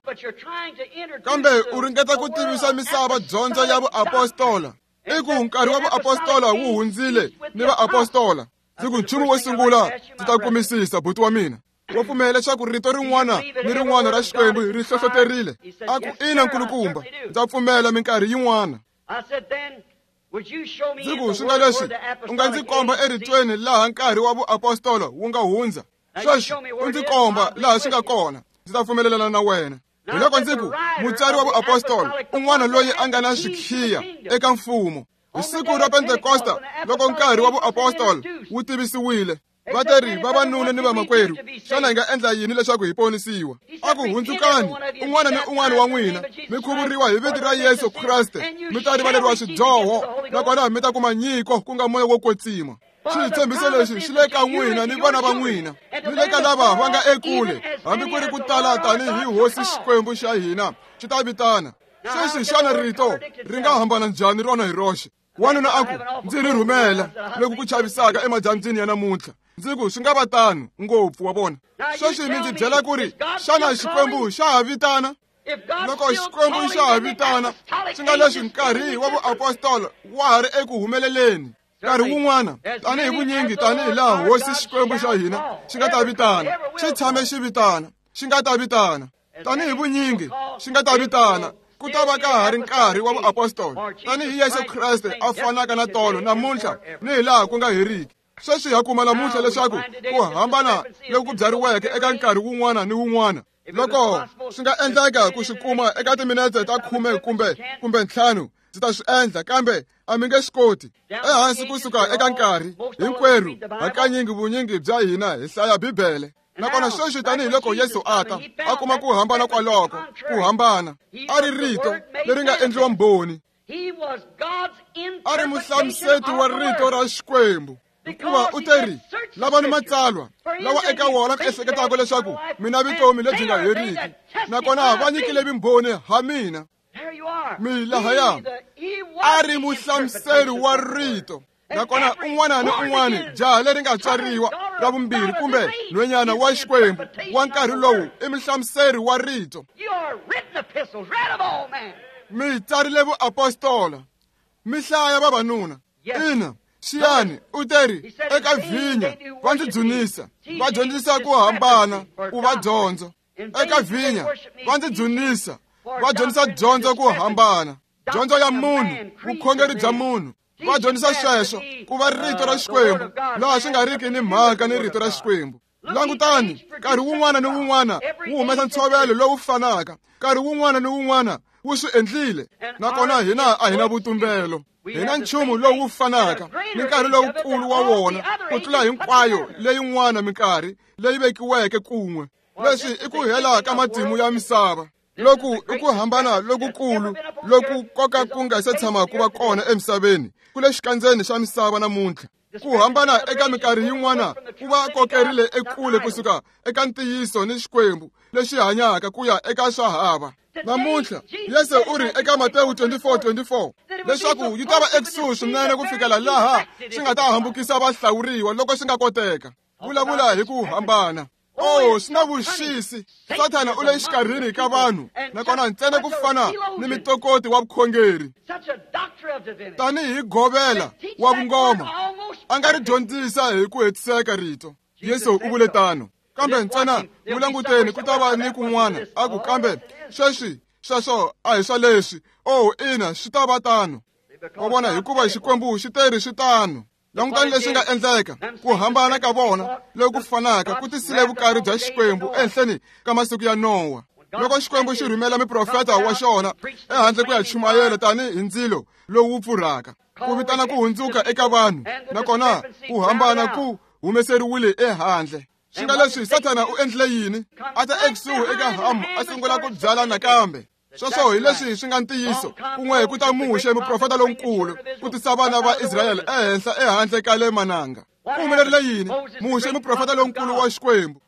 Kambe u ringeta ku tivisa misava dyondzo ya vuapostola. I ku nkarhi wa vuapostola wu hundzile ni vaapostola. Ndzi ku nchumu wo sungula ndzi ta kumisisa buti wa mina. Wa pfumela leswaku rito rin'wana ni rin'wana ra Xikwembu ri hlohloterile. A ku ina nkulukumba, ndza pfumela minkarhi yin'wana. Ndzi ku swi nga leswi u nga ndzi komba eritweni laha nkarhi wa vuapostola wu nga hundza. Sweswi u ndzi komba laha swi nga kona, ndzi ta pfumelelana na wena. Hi loko ndzi ku mutsari wa vuapostola un'wana loyi a nga na swikhiya eka mfumo. Hi siku ra Pentekosta loko nkarhi wa vuapostola wu tivisiwile, va teri vavanuna ni vamakwerhu, xana hi nga endla yini leswaku hi ponisiwa? A ku hundzukani un'wana ni un'wana wa n'wina, mi khuvuriwa hi vito ra Yesu Kreste, mi ta rivaleriwa swidyoho, nakona mi ta kuma nyiko ku nga moya wo kwetsima. Xitshembiso lexi xi le ka n'wina ni vana va n'wina, ni le ka lava va nga ekule, hambi ku ri ku tala tanihi Hosi Xikwembu xa hina xi ta vitana. Sweswi xana rito ri nga hambana njhani rona hi roxe? Wanuna a ku, ndzi ri rhumela loku ku chavisaka emadyambyini ya namuntlha. Ndzi ku swi nga va tano ngopfu wa vona. Sweswi mi ndzi byela ku ri xana Xikwembu xa ha vitana? Loko Xikwembu xa ha vitana, swi nga leswi nkarhi wa vuapostola wa ha ri eku humeleleni. Nkarhi wun'wana, tanihi vunyingi tanihi laha Hosi Xikwembu xa hina xi nga ta vitana, xi tshame xi vitana, xi nga ta vitana. Tanihi vunyingi xi nga ta vitana, ku ta va ka ha ri nkarhi wa vuapostola, tanihi Yesu Kreste a fanaka na tolo namuntlha ni hi laha ku nga heriki. Sweswi ha kuma namuntlha leswaku ku hambana loku ku byariweke eka nkarhi wun'wana ni wun'wana, loko swi nga endleka ku swi kuma eka timinete ta khume kumbe kumbe ntlhanu, ndzi ta swi endla, kambe a mi nge swi koti. Ehansi kusuka eka nkarhi hinkwerhu, hakanyingi vunyingi bya hina hi hlaya Bibele. Nakona sweswi tanihiloko Yesu a ta, a kuma ku hambana kwaloko, ku hambana. A ri rito leri nga endliwa mbhoni. A ri muhlamuseti wa rito ra Xikwembu. Hikuva u teri, lavani matsalwa lawa eka wona ku ehleketaka leswaku mina vutomi lebyi nga heriki, nakona va nyikile vumbhoni ha mina. Mi lahaya a ri muhlamuseri wa rito. Nakona un'wana ni un'wana jaha leri nga tswariwa ra vumbirhi kumbe nhwenyana wa Xikwembu wa nkarhi lowu i muhlamuseri wa rito. Mi tsarile vuapostola, mi hlaya vavanuna. Ina, xiyani u teri eka vhinya va ndzi dzunisa, va dyondzisa ku hambana ku va dyondzo. Eka vhinya va ndzi dzunisa, va dyondzisa dyondzo ku hambana, dyondzo ya munhu, vukhongeri bya munhu. Va dyondzisa sweswo ku va rito ra Xikwembu, laha swi nga riki ni mhaka ni rito ra Xikwembu. Langutani, nkarhi wun'wana ni wun'wana wu humesa ntshovelo lowu fanaka, nkarhi wun'wana ni wun'wana wu swi endlile. Nakona hina a hi na vutumbelo, hi na nchumu lowu fanaka ni nkarhi lowukulu wa wona ku tlula hinkwayo leyin'wana minkarhi leyi vekiweke kun'we. Leswi i ku hela ka matimu ya misava. Loku i ku hambana lokukulu loku koka ku nga se tshama ku va kona emisaveni, ku le xikandzeni xa misava namuntlha. Ku hambana eka minkarhi yin'wana ku va kokerile ekule kusuka eka ntiyiso ni Xikwembu lexi hanyaka ku ya eka swa hava. Namuntlha Yesu u ri eka Matewu twenty-four twenty-four leswaku yi ta va ekusuhi swinene ku fikela laha swi nga ta hambukisa vahlawuriwa loko swi nga koteka. Vulavula hi ku hambana. Oh, swi na vuxisi. Sathana u le xikarhini ka vanhu, nakona ntsena ku fana ni mitokoti wa vukhongeri, tanihi govela wa vungoma, a nga ri dyondzisa hi ku hetiseka rito. Yesu u vule tano. Kambe ntsena n'wi languteni, ku ta va ni kun'wana a ku, kambe sweswi sweswo a hi swa leswi. Oh, ina, swi ta va tano. Wa vona, hikuva Xikwembu xi teri swi tano. Langutani leswi nga endleka, ku hambana ka vona loku fanaka ku tisile vukari bya Xikwembu ehenhleni ka masiku ya Nowa. Loko Xikwembu xi rhumela muprofeta wa xona ehandle ku ya chumayela tanihi ndzilo lowu pfurhaka, ku vitana ku hundzuka eka vanhu, nakona ku hambana ku humeseriwile ehandle. Swi nga leswi Sathana u endlile yini? A ta ekusuhi eka Hamu a sungula ku byala nakambe. Sweswo hi leswi swi nga ntiyiso. Kun'we ku ta Muxe, muprofeta lonkulu, ku tisa vana va Israyele ehenhla ehandle ka le mananga. Ku humelerile yini? Muxe, muprofeta lonkulu wa Xikwembu,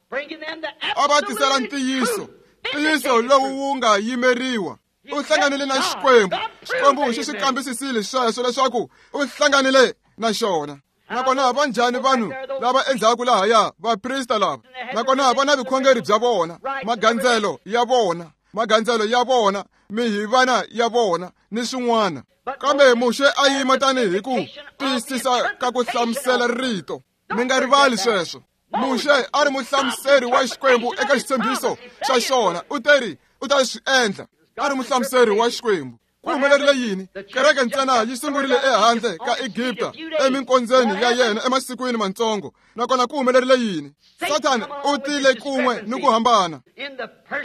a va tisela ntiyiso, ntiyiso lowu wu nga yimeriwa. U hlanganile na Xikwembu. Xikwembu xi swi kambisisile sweswo leswaku u hlanganile na xona. Nakona va njhani vanhu lava endzhaku lahaya, vaprista lava? Nakona va na vukhongeri bya vona, magandzelo ya vona, magandzelo ya vona, mihivana ya vona ni swin'wana. Kambe Muxe a yima tanihi ku tiyisisa ka ku hlamusela rito. Mi nga rivali sweswo. Muxe a ri muhlamuseri wa Xikwembu eka xitshembiso xa xona. U teri u ta swi endla. A ri muhlamuseri wa Xikwembu. Ku humelerile yini? Kereke ntsena yi sungurile ehandle ka Egipta eminkondzeni ya yena emasikwini mantsongo. Nakona ku humelerile yini? Sathana u tile kun'we ni ku hambana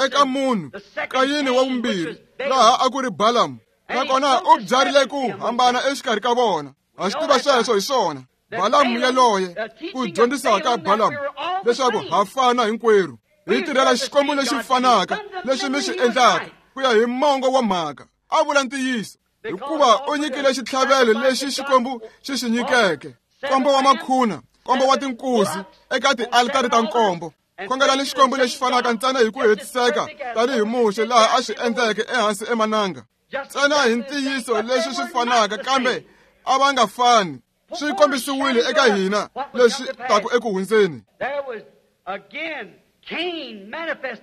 eka munhu Kayini wa vumbirhi, laha a ku ri Balamu. Nakona u byarile ku hambana exikarhi ka vona. Ha swi tiva sweswo hi swona. Balamu yaloye, ku dyondzisa ka Balamu leswaku ha fana hinkwerhu, hi tirhela Xikwembu lexi fanaka lexi mi xi endlaka ku ya hi mongo wa mhaka. A vula ntiyiso hikuva u nyikile xitlhavelo lexi Xikwembu xi xi nyikeke, nkombo wa makhuna, nkombo wa tinkuzi eka tialitari ta nkombo. Khongelani Xikwembu lexi fanaka ntsena hi ku hetiseka tanihi Muxe laha a swi endleke ehansi emananga, ntsena hi ntiyiso leswi swi fanaka, kambe a va nga fani. Swi kombisiwile eka hina leswi taku eku hundzeni.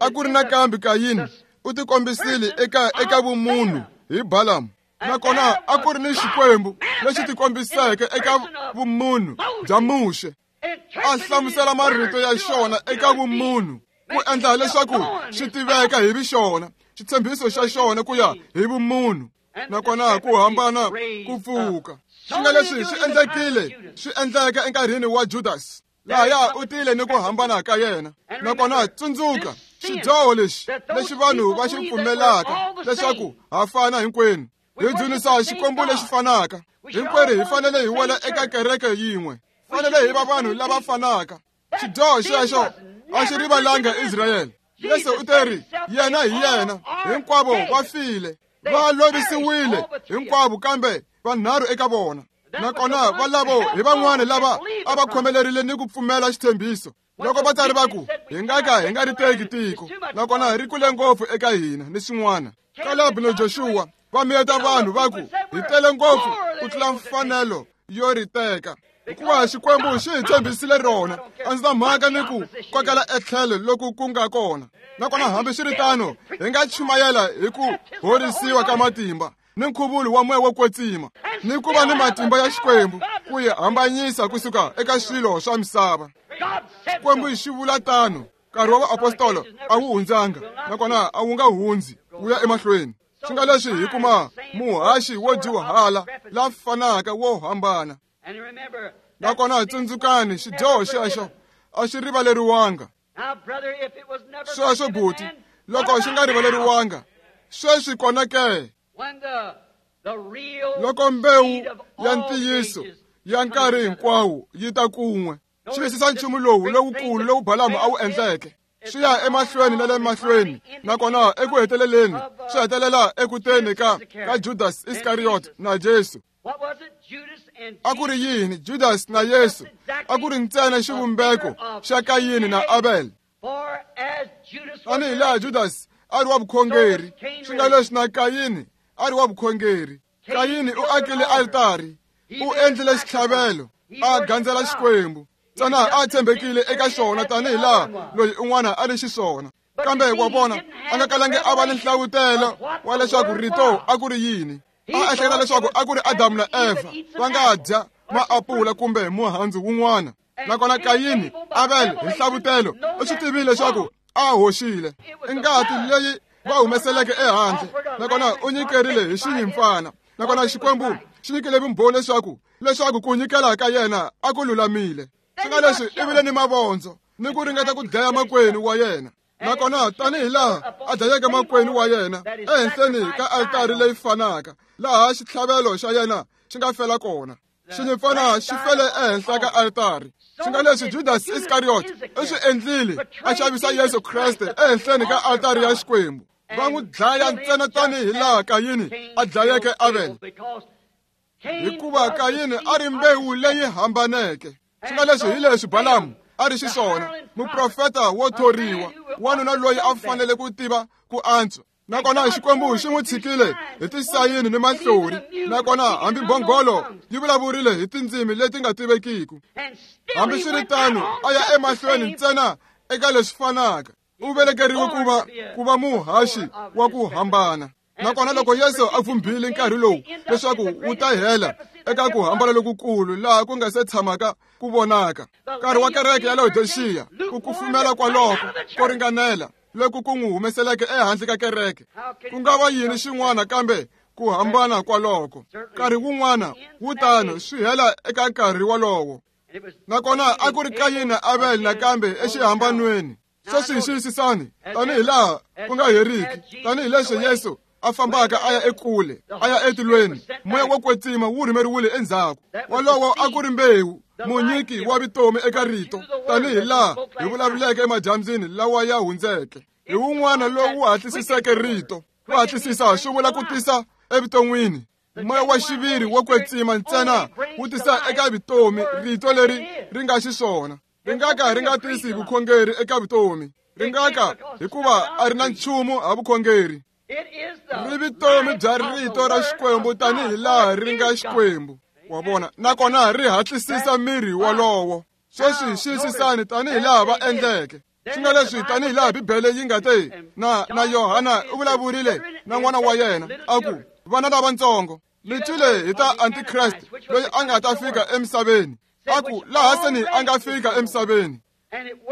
A ku ri nakambe Kayini u tikombisile eka eka vumunhu hi Balamu. Nakona a ku ri ni Xikwembu lexi tikombiseke eka vumunhu bya Muxe, a hlamusela marito ya xona eka vumunhu ku endla leswaku swi tiveka hi vixona, xitshembiso xa xona ku ya hi vumunhu. Nakona ku hambana ku pfuka. Swi nga leswi swi endlekile, swi endleka enkarhini wa Judas. Lahaya u tile ni ku hambana ka yena. Nakona tsundzuka xidyoho lexi lexi vanhu va xi pfumelaka leswaku ha fana hinkwenu. Hi dzunisa Xikwembu lexi fanaka. Hinkwerhu hi fanele hi wela eka kereke yin'we. Fanele hi va vanhu lava fanaka. Xidyoho xexo a xi rivalanga Israyele. Yesu u teri yena hi yena, hinkwavo va file, va lovisiwile hinkwavo kambe vanharhu eka vona. Nakona valavo hi van'wana lava a va khomelerile ni ku pfumela xitshembiso. Loko vatsari va ku hi nga ka hi nga ri teki tiko, nakona ri kule ngopfu eka hina ni swin'wana. Kaleb na Joshua va miyeta vanhu va ku hi tele ngopfu ku tlula mfanelo yo ri teka, hikuva Xikwembu xi hi tshembisile rona. A ndzi na mhaka ni ku kokela etlhelo loku ku nga kona. Nakona hambiswiritano hi nga chumayela hi ku horisiwa ka matimba ni nkhuvulo wa moya wo kwetsima ni ku va ni matimba ya Xikwembu ku yi hambanyisa kusuka eka swilo swa misava. Xikwembu xi vula tano. Nkarhi wa vaapostolo a wu hundzanga, nakona a wu nga hundzi wu ya emahlweni. Swi nga leswi hi kuma muhaxi wo dyuhala la fanaka wo hambana. Nakona tsundzukani xidyoho xexo a xi rivaleriwanga. Sweswo buti, loko xi nga rivaleriwanga, sweswi kona ke? Loko mbewu ya ntiyiso ya nkarhi hinkwawo yi ta kun'we, xiyisisa nchumu lowu lowukulu lowu Balamu a wu endleke, swi ya emahlweni na le mahlweni. Nakona eku heteleleni swi hetelela ekuteni ka ka Judas Iskariot na Jesu. A ku ri yini Judas na Yesu? A ku ri ntsena xivumbeko xa Kayini na Abel. Tanihi laha Judas a ri wa vukhongeri, swi nga leswi na Kayini a ri wa vukhongeri. Kayini u akile altari, u endlile xitlhavelo, a gandzela Xikwembu. Ntsena a tshembekile eka xona tanihi laha loyi un'wana a ri xiswona. Kambe wa vona, a nga kalangi a va ni nhlavutelo wa leswaku rito a ku ri yini. A ehleketa leswaku a ku ri Adamu na Eva va nga dya maapula kumbe muhandzu wun'wana. Nakona Kayini, Abel hi nhlavutelo u swi tivile leswaku a hoxile. I ngati leyi va humeseleke ehandle, nakona u nyikerile hi xinyimpfana. Nakona Xikwembu xi nyikile vumbhoni leswaku leswaku ku nyikela ka yena a ku lulamile. Swi nga leswi i vile ni mavondzo ni ku ringeta ku dlaya makwenu wa yena. Nakona tanihi laha a dlayeke makwenu wa yena ehenhleni ka altari leyi fanaka laha xitlhavelo xa yena xi nga fela kona, xinyimpfana xi fele ehenhla ka altari. Swi nga leswi Judas Iskariot i swi endlile, a xavisa Yesu Kreste ehenhleni ka altari ya Xikwembu. Va n'wi dlaya ntsena tanihi laha Kayini a dlayeke Abel, hikuva Kayini a ri mbewu leyi hambaneke. Swi nga leswi hi leswi Balamu a ri xiswona, muprofeta wo thoriwa, wanuna loyi a fanele ku tiva ku antswa. Nakona Xikwembu xi n'wi tshikile hi tisayini ni mahlori. Nakona hambi mbhongolo yi vulavurile hi tindzimi leti nga tivekiki. Hambiswiritano a ya emahlweni ntsena eka leswi fanaka. U velekeriwe ku va ku va muhaxi wa ku hambana. Nakona loko Yesu a vumbile nkarhi lowu leswaku wu ta hela eka ku hambana lokukulu laha ku nga se tshamaka ku vonaka. Nkarhi wa kereke ya Laodiceya ku kufumela kwaloko ko ringanela loku ku n'wi humeseleke ehandle ka kereke. Ku nga va yini xin'wana kambe ku hambana kwaloko. Nkarhi wun'wana wu tano swi hela eka nkarhi wolowo. Nakona a ku ri Kayini na Abel nakambe exihambanweni. Sweswi xiyisisani tanihi laha ku nga heriki, tanihileswi Yesu a fambaka a ya ekule, a ya etilweni, moya wo kwetsima wu rhumeriwile endzhaku. Wolowo a ku ri mbewu, munyiki wa vutomi eka rito, tanihi laha hi vulavuleke emadyambyini lawa ya hundzeke. Hi wun'wana lowu hatlisiseke rito. Ku hatlisisa swi vula ku tisa evuton'wini. Moya wa xiviri wo kwetsima ntsena wu tisa eka vutomi rito leri ri nga xiswona. Ri nga ka ri nga tisi vukhongeri eka vutomi. Ri nga ka hikuva a ri na nchumu ha vukhongeri. Ri vutomi bya rito ra Xikwembu tanihi laha ri nga Xikwembu. Wa vona? Nakona ri hatlisisa miri wolowo. Sweswi xiyisisani tanihi laha va endleke. Swi nga leswi tanihi laha Bibele yi nga te na na Yohana u vulavurile na n'wana wa yena a ku, vana lavatsongo, mi twile hi ta Antikreste loyi a nga ta fika emisaveni. A ku laha seni a nga fika emisaveni.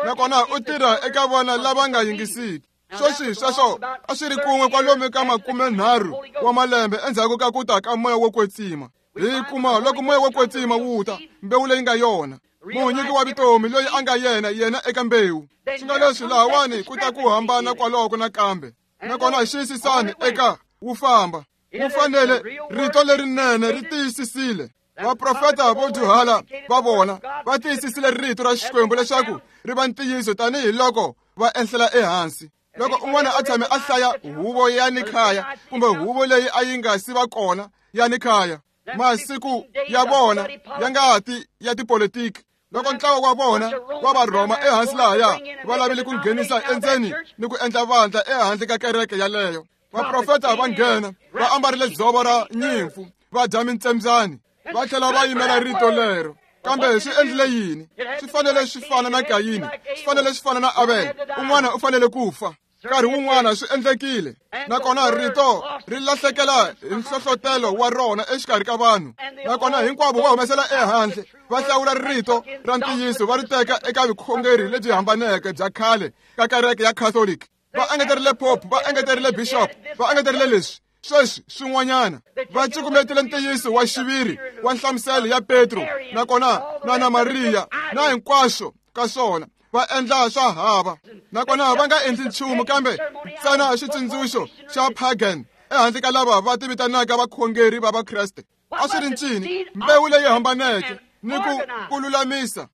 Nakona u tirha eka vana lava nga yingisiki. Sweswi sweswo a swi ri kun'we kwalomu ka makumenharhu wa malembe endzhaku ka ku ta ka moya wo kwetsima. Hi kuma loko moya wo kwetsima wu ta, mbewu leyi nga yona, munyiki wa vutomi loyi a nga yena yena eka mbewu. Swi nga leswi lahawani ku ta ku hambana kwaloko nakambe. Nakona xiyisisani eka wu famba. Wu fanele rito lerinene ri tiyisisile. Vaprofeta vo dyuhala va vona va tiyisisile rito ra Xikwembu leswaku ri va ntiyiso tanihiloko va enhlela ehansi. Loko un'wana a tshame a hlaya huvo ya Nikhaya kumbe huvo leyi a yi nga si va kona ya Nikhaya, masiku ya vona ya ngati ya tipolitiki, loko ntlawa wa vona wa Varhoma ehansi lahaya va lavile ku nghenisa endzeni ni ku endla vandla ehandle ka kereke yaleyo, vaprofeta va nghena va ambarile dzovo ra nyimpfu, va dya mintsembyani, va tlhela va yimela rito lero. Kambe swi endlile yini? Swi fanele swi fana na Kayini, swi fanele swi fana na Abel. Un'wana u fanele ku fa. Nkarhi wun'wana swi endlekile. Nakona rito ri lahlekela hi nhlohlotelo wa rona exikarhi ka vanhu. Nakona hinkwavo va humesela ehandle, va hlawula rito ra ntiyiso va ri teka eka vukhongeri lebyi hambaneke bya khale ka kereke ya Catholic. Va engeterile pope, va engeterile bishop, va engeterile leswi. Sweswi swin'wanyana va cukumetile ntiyiso wa xiviri wa nhlamuselo ya Petro nakona na na Mariya na hinkwaswo ka swona va endla swa hava. Nakona va nga endli nchumu kambe ntsena xitsundzuxo xa pagan ehandle ka lava va tivitanaka vakhongeri va Vakreste. A swi ri ncini? Mbewu leyi hambaneke ni ku ku lulamisa,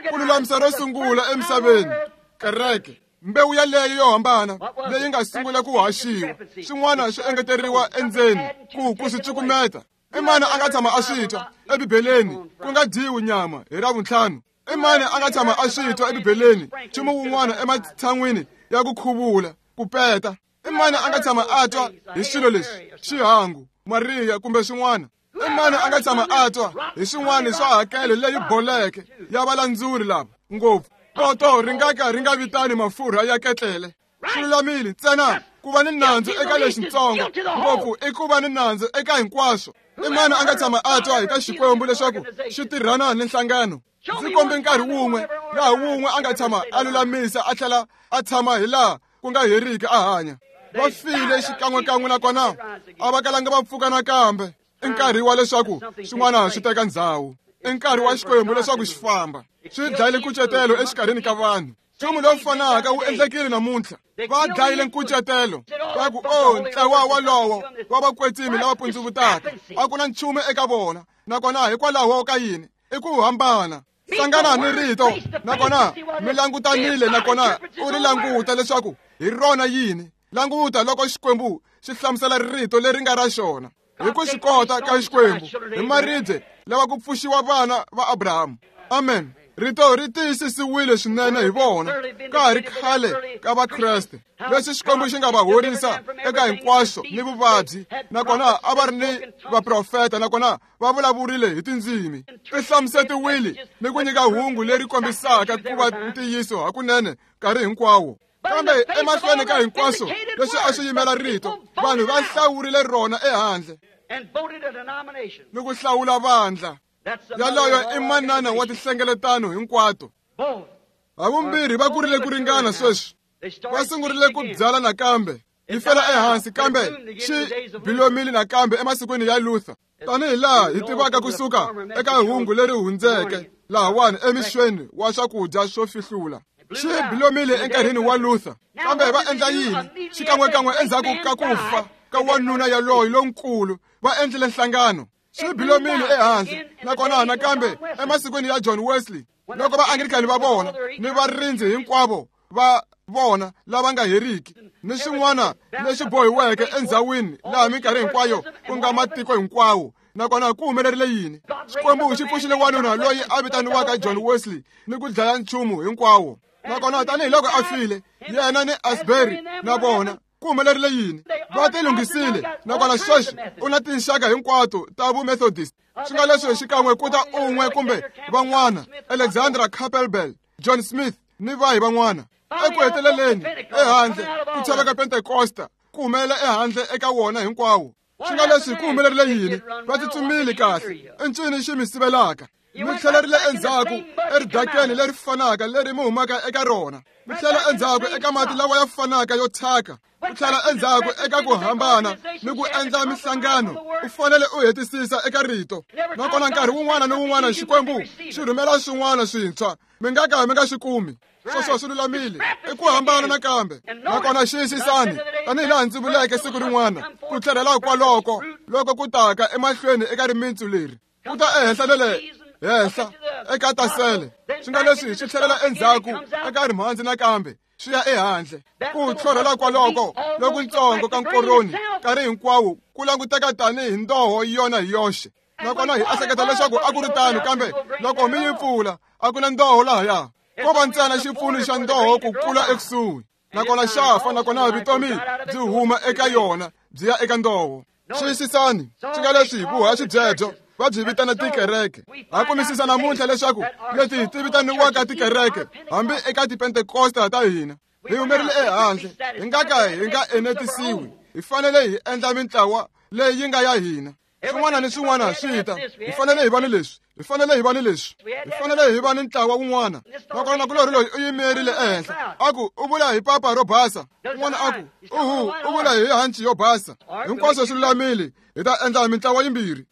ku lulamisa ro sungula emisaveni, kereke. Mbewu yaleyo yo hambana leyi nga sungula ku haxiwa, swin'wana swi engeteriwa endzeni ku ku swi cukumeta. I mani a nga tshama a swi twa eBibeleni ku nga dyiwi nyama hi Ravuntlhanu? I mani a nga tshama a swi twa eBibeleni nchumu wun'wana ematshan'wini ya ku khuvula, ku peta? I mani a nga tshama a twa hi swilo leswi, xihangu, Mariya kumbe swin'wana? I mani a nga tshama a twa hi swin'wana swa hakelo leyi boleke ya valandzuri lava ngopfu? Poto ri nga ka ri nga vitani mafurha ya ketlele. Swi lulamile ntsena ku va ni nandzu eka lexitsongo ngopfu i ku va ni nandzu eka hinkwaswo. I mani a nga tshama a twa hi ta Xikwembu leswaku xi tirhana ni nhlangano? Ndzi kombe nkarhi wun'we laha wun'we a nga tshama a lulamisa a tlhela a tshama hi laha ku nga heriki a hanya. Va file xikan'wekan'we nakona a va kalanga va pfuka nakambe. I nkarhi wa leswaku swin'wana swi teka ndzhawu. I nkarhi wa Xikwembu leswaku xi famba. Swi dlayile nkucetelo exikarhini ka vanhu. Nchumu lowu fanaka wu endlekile namuntlha. Va dlayile nkucetelo. Va ku, oh, ntlawa wolowo wa vakwetsimi lava pundzuvutaka a ku na nchumu eka vona. Nakona hikwalaho ka yini? I ku hambana. Hlangana ni rito nakona mi langutanile nakona u ri languta leswaku hi rona yini. Languta loko Xikwembu xi hlamusela rito leri nga ra xona. Hi ku swi kota ka Xikwembu hi maribye lawa ku pfuxiwa vana va Abrahamu. Amen. Rito ri tiyisisiwile swinene hi vona ka ha ri khale ka Vakreste. Leswi Xikwembu xi nga va horisa eka hinkwaswo ni vuvabyi, nakona a va ri ni vaprofeta, nakona va vulavurile hi tindzimi. Ti hlamusetiwile ni ku nyika hungu leri kombisaka ku va ntiyiso hakunene nkarhi hinkwawo. Kambe emahlweni ka hinkwaswo leswi a swi yimela rito, vanhu va hlawurile rona ehandle ni ku hlawula vandla. Yaloyo i manana wa tinhlengeletano hinkwato. Havumbirhi va kurile ku ringana sweswi. Va sungurile ku byala nakambe. Yi fela ehansi kambe xi bilomile nakambe emasikwini ya Luther. Tanihi laha hi tivaka kusuka eka hungu leri hundzeke lahawani emixweni wa swakudya swo fihlula. Xi bilomile enkarhini wa Luther. Kambe va endla yini? Xikan'wekan'we endzhaku ka ku fa ka wanuna yaloyo lonkulu, va endlile nhlangano. Xi bilomile ehandle, nakona nakambe emasikwini ya John Wesley, loko va Anglican va vona ni varindzi hinkwavo va vona lava nga heriki ni swin'wana leswi bohiweke endzhawini laha minkarhi hinkwayo ku nga matiko hinkwawo. Nakona ku humelerile yini? Xikwembu xi pfuxile wanuna loyi a vitaniwaka John Wesley ni ku dlaya nchumu hinkwawo. Nakona tanihiloko a file, yena ni Asbury na vona ku humelerile yini? Va ti lunghisile, nakona sweswi u na tinxaka hinkwato ta vumethodist. Swi nga leswi xikan'we ku ta un'we kumbe van'wana, Alexandra Campbell, John Smith ni vahi van'wana. Eku heteleleni ehandle ku chava ka Pentekosta ku humelela ehandle eka wona hinkwawo. Swi nga leswi ku humelerile yini? Va tsutsumile kahle. I ncini xi mi sivelaka? Mi tlhelerile endzhaku eridakeni leri fanaka leri mi humaka eka rona. Mi tlhela endzhaku eka mati lawa ya fanaka yo thyaka. U tlhela endzhaku eka ku hambana ni ku endla mihlangano. U fanele u hetisisa eka rito. Nakona nkarhi wun'wana ni wun'wana Xikwembu xi rhumela swin'wana swintshwa, mi nga ka mi nga swi kumi. Sweswo swi lulamile. I ku hambana nakambe. Nakona xiyisisani, tanihi laha ndzi vuleke siku rin'wana, ku tlhelela kwaloko loko ku taka emahlweni eka rimitsu leri, ku ta ehenhla na le henhla eka tasele. Swi nga leswi swi tlhelela endzhaku eka rimhandzi nakambe swi ya ehandle. Ku tlhorhela kwaloko lokuntsongo ka nkoroni nkarhi hinkwawo ku languteka tanihi ndoho yona hi yoxe. Nakona hi ehleketa leswaku a ku ri tano, kambe loko mi yi pfula a ku na ndoho lahaya. Ko va ntsena xipfuno xa ndoho ku kula ekusuhi. Nakona xa fa, nakona vutomi byi huma eka yona byi ya eka ndoho. Xiyisisani, swi nga leswi vuhaxi byebyo va byi vitana tikereke. Ha kumisisa namuntlha leswaku leti ti vitaniwaka tikereke hambi eka tipentekosta ta hina, hi humerile ehandle, hi nga ka hi nga enetisiwi. Hi fanele hi endla mintlawa leyi nga ya hina. Swin'wana ni swin'wana swi ta. Hi fanele hi va ni leswi, hi fanele hi va ni leswi, hi fanele hi va ni ntlawa wun'wana. Nakona nakulorhi loyi u yimerile ehenhla, a ku u vula hi papa ro basa. Un'wana a ku uhu u vula hi hanci yo basa. Hinkwaswo swi lulamile, hi ta endla mintlawa yimbirhi.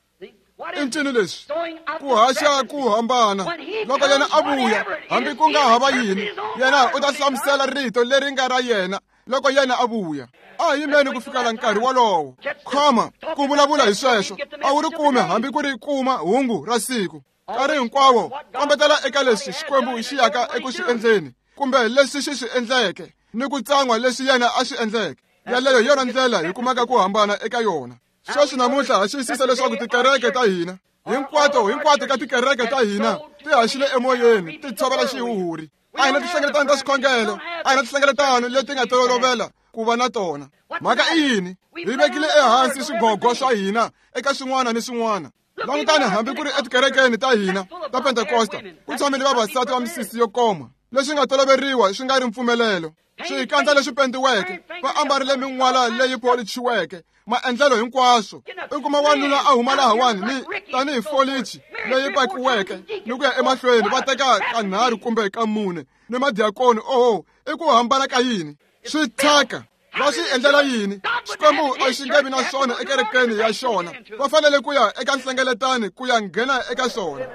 I ncini leswi? Ku haxa ku hambana. Loko yena a vuya, hambi ku nga hava yini, yena u ta hlamusela rito leri nga ra yena loko yena a vuya. A hi yimeni ku fikela nkarhi wolowo. Khoma ku vulavula hi sweswo, a wu ri kume hambi ku ri kuma hungu ra siku. Nkarhi hinkwawo kombetela eka leswi Xikwembu xi yaka eku swi endleni, kumbe leswi xi swi endleke, ni ku tsan'wa leswi yena a swi endleke. Yaleyo hi yona ndlela hi kumaka ku hambana eka yona. Sweswi namuntlha ha xiyisisa leswaku tikereke ta hina hinkwato hinkwato ka tikereke ta hina ti haxile emoyeni, ti tshovela xihuhuri. A hi na tinhlengeletano ta swikhongelo, a hi na tinhlengeletano leti nga tolovela ku va na tona. Mhaka i yini? Hi vekile ehansi swigogo swa hina eka swin'wana ni swin'wana. Langutani hambi ku ri etikerekeni ta hina ta Pentekosta, ku tshamile vavasati va misisi yo koma, leswi nga toloveriwa swi nga ri mpfumelelo. Swikandza leswi pendiweke, va ambarile min'wala leyi polichiweke, maendlelo hinkwaswo. I kuma wanuna a huma lahawani ni tanihi folichi leyi pakiweke ni ku ya emahlweni, va teka kanharhu kumbe ka mune ni madiakoni. Oho, i ku hambana ka yini? Swi thyaka. Va swi endlela yini? Xikwembu a xi nge vi na swona ekerekeni ya xona. Va fanele ku ya eka nhlengeletano ku ya nghena eka swona.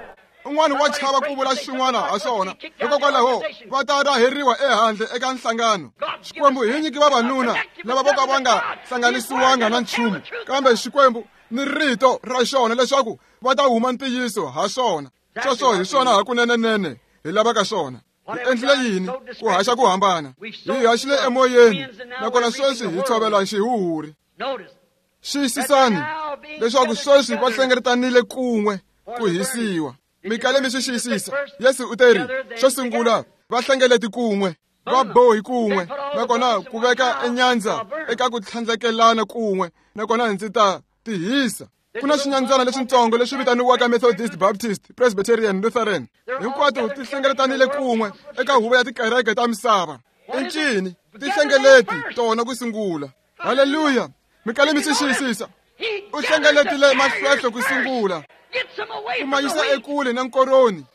Un'wana wa chava ku vula swin'wana ha swona, hikokwalaho va ta raheriwa ehandle eka nhlangano. Xikwembu hi nyiki vavanuna lava vo ka va nga hlanganisiwanga na nchumu, kambe Xikwembu ni rito ra xona leswaku va ta huma ntiyiso ha swona. Sweswo hi swona hakunenenene hi lavaka swona. Hi endlile yini? Ku haxa ku hambana. Hi haxile emoyeni, nakona sweswi hi tshovela xihuhuri. Xiyisisani leswaku sweswi va hlengeletanile kun'we ku hisiwa. Mi kale mi swi xiyisisa. Yesu u teri, xo sungula va hlengeleti kun'we, va bohi kun'we, nakona ku veka enyandza eka ku tlhandlekelana kun'we, nakona ndzi ta tihisa. Ku na swinyandzana leswintsongo leswi vitaniwaka Methodist, Baptist, Presbyterian, Lutheran. Hinkwato ti hlengeletanile kun'we eka huvo ya tikereke ta misava. I ncini? Ti hlengeleti tona ku sungula. Haleluya! Mi kale mi swi xiyisisa. U hlengeletile mahlwehlo ku sungula, ku ma yisa ekule na nkoroni,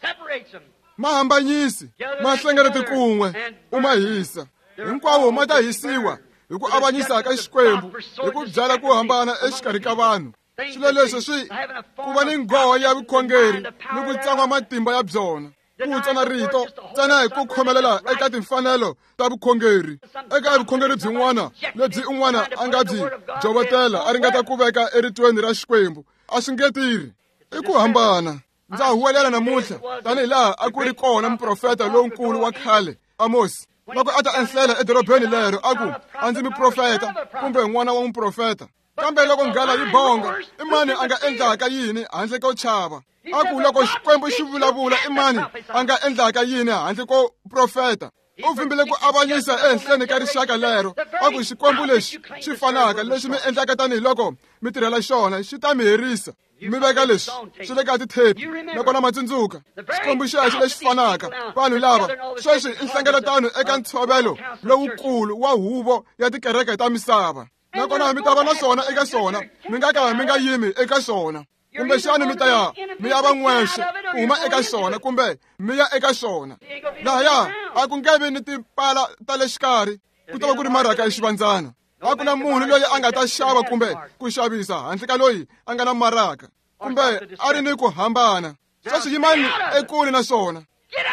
ma hambanyisi, ma hlengeleti kun'we, u ma hisa. Hinkwawo ma ta hisiwa hi ku avanyisa ka Xikwembu, hi ku byala ku hambana exikarhi ka vanhu. Swilo leswi swi ku va ni nghoho ya vukhongeri ni ku tsan'wa matimba ya byona, ku tsana rito ntsena hi ku khomelela eka timfanelo ta vukhongeri. Eka vukhongeri byin'wana lebyi un'wana a nga byi jovotela a ringeta ku veka eritweni ra Xikwembu, a swi nge tirhi. I ku hambana. Ndza huwelela namuntlha tanihi laha a ku ri kona muprofeta lonkulu wa khale Amos, loko a ta enhlela edorobeni lero a ku, a ndzi muprofeta kumbe n'wana wa muprofeta. Kambe loko nghala yi bonga, i mani a nga endlaka yini handle ko chava? A ku loko Xikwembu xi vulavula, i mani a nga endlaka yini handle ko profeta? U vimbile ku avanyisa ehenhleni ka rixaka lero, a ku Xikwembu lexi xi fanaka lexi mi endlaka tanihiloko mi tirhela xona xi ta mi herisa. Mi veka leswi swi le ka tithepi, nakona ma tsundzuka Xikwembu xexo lexi fanaka. Vanhu lava sweswi i nhlengeletano eka ntshovelo lowukulu wa huvo ya tikereke ta misava, nakona mi ta va na swona eka swona, mi nga ka mi nga yimi eka swona. Kumbexani mi ta ya mi ya va n'wexe ku huma eka swona, kumbe mi ya eka swona. Lahaya a ku nge vi ni tipala ta le xikarhi, ku ta va ku ri maraka ya xivandzana. A ku na munhu loyi a nga ta xava kumbe ku xavisa handle ka loyi a nga na maraka, kumbe a ri ni ku hambana. Sweswi yimani ekule na swona,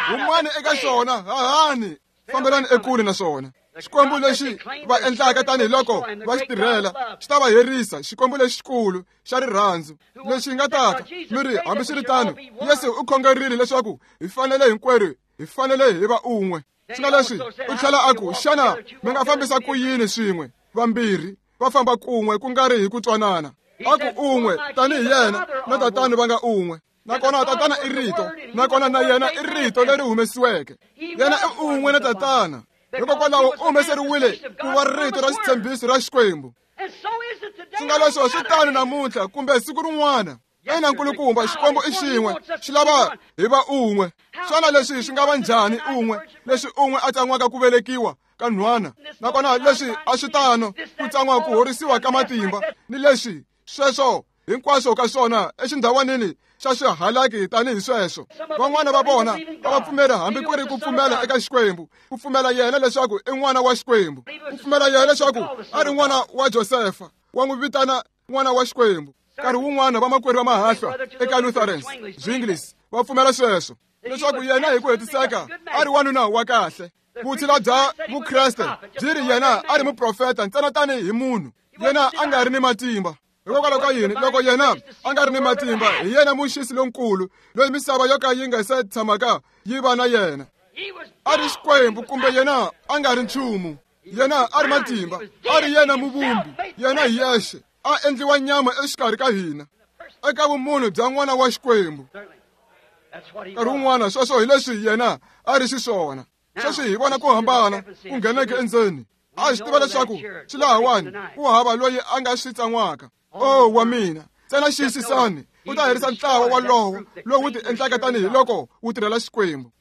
humani eka swona, hahani, fambelani ekule na swona. Xikwembu lexi va endlaka tanihiloko va xi tirhela xi ta va herisa. Xikwembu lexikulu xa rirhandzu lexi nga taka mi ri, hambiswiritano Yesu u khongerile leswaku hi fanele hinkwerhu hi fanele hi va un'we. Swi nga leswi u tlhela a ku, xana mi nga fambisa ku yini swin'we? Vambirhi va famba kun'we ku nga ri hi ku twanana. A ku un'we tanihi yena na tatana va nga un'we, nakona tatana i rito, nakona na yena i rito leri humesiweke. Yena i un'we na tatana, hikokwalaho u humeseriwile ku va rito ra xitshembiso ra Xikwembu. Swi nga leswo swi tano namuntlha kumbe siku rin'wana. Ina nkulukumba, Xikwembu i xin'we, xi lava hi va un'we. Xana leswi swi nga va njhani un'we, leswi un'we a tsan'waka ku velekiwa ka nhwana, nakona leswi a swi tano ku tsan'wa ku horisiwa ka matimba, ni leswi sweswo hinkwaswo ka swona exindhawanini xa swihalaki tanihi sweswo. Van'wana va vona a va pfumela hambi ku ri ku pfumela eka Xikwembu, ku pfumela yena leswaku i n'wana wa Xikwembu, ku pfumela yena leswaku a ri n'wana wa Josefa, wa n'wi vitana n'wana wa Xikwembu. Nkarhi wun'wana vamakwerhu va mahahlwa eka Lutherans, Zwinglis va pfumela sweswo, leswaku yena hi ku hetiseka a ri wanuna wa kahle. Vutshila bya Vukreste byi ri yena a ri muprofeta ntsena tanihi munhu, yena a nga ri ni matimba. Hikokwalaho ka yini? Loko yena a nga ri ni matimba, hi yena muxisi lonkulu loyi misava yo ka yi nga se tshamaka yi va na yena. A ri Xikwembu kumbe yena a nga ri nchumu. Yena a ri matimba, a ri yena muvumbi, yena hi yexe a endliwa nyama exikarhi ka hina eka vumunhu bya n'wana wa Xikwembu. Nkarhi wun'wana sweswo hi leswi yena a ri xiswona. Sweswi hi vona ku hambana ku ngheneke endzeni. A swi tiva leswaku swi lahawani ku hava loyi a nga swi tsan'waka. O wa mina, ntsena xiyisisani, u ta herisa ntlawa walowo lowu ti endlaka tanihiloko wu tirhela Xikwembu.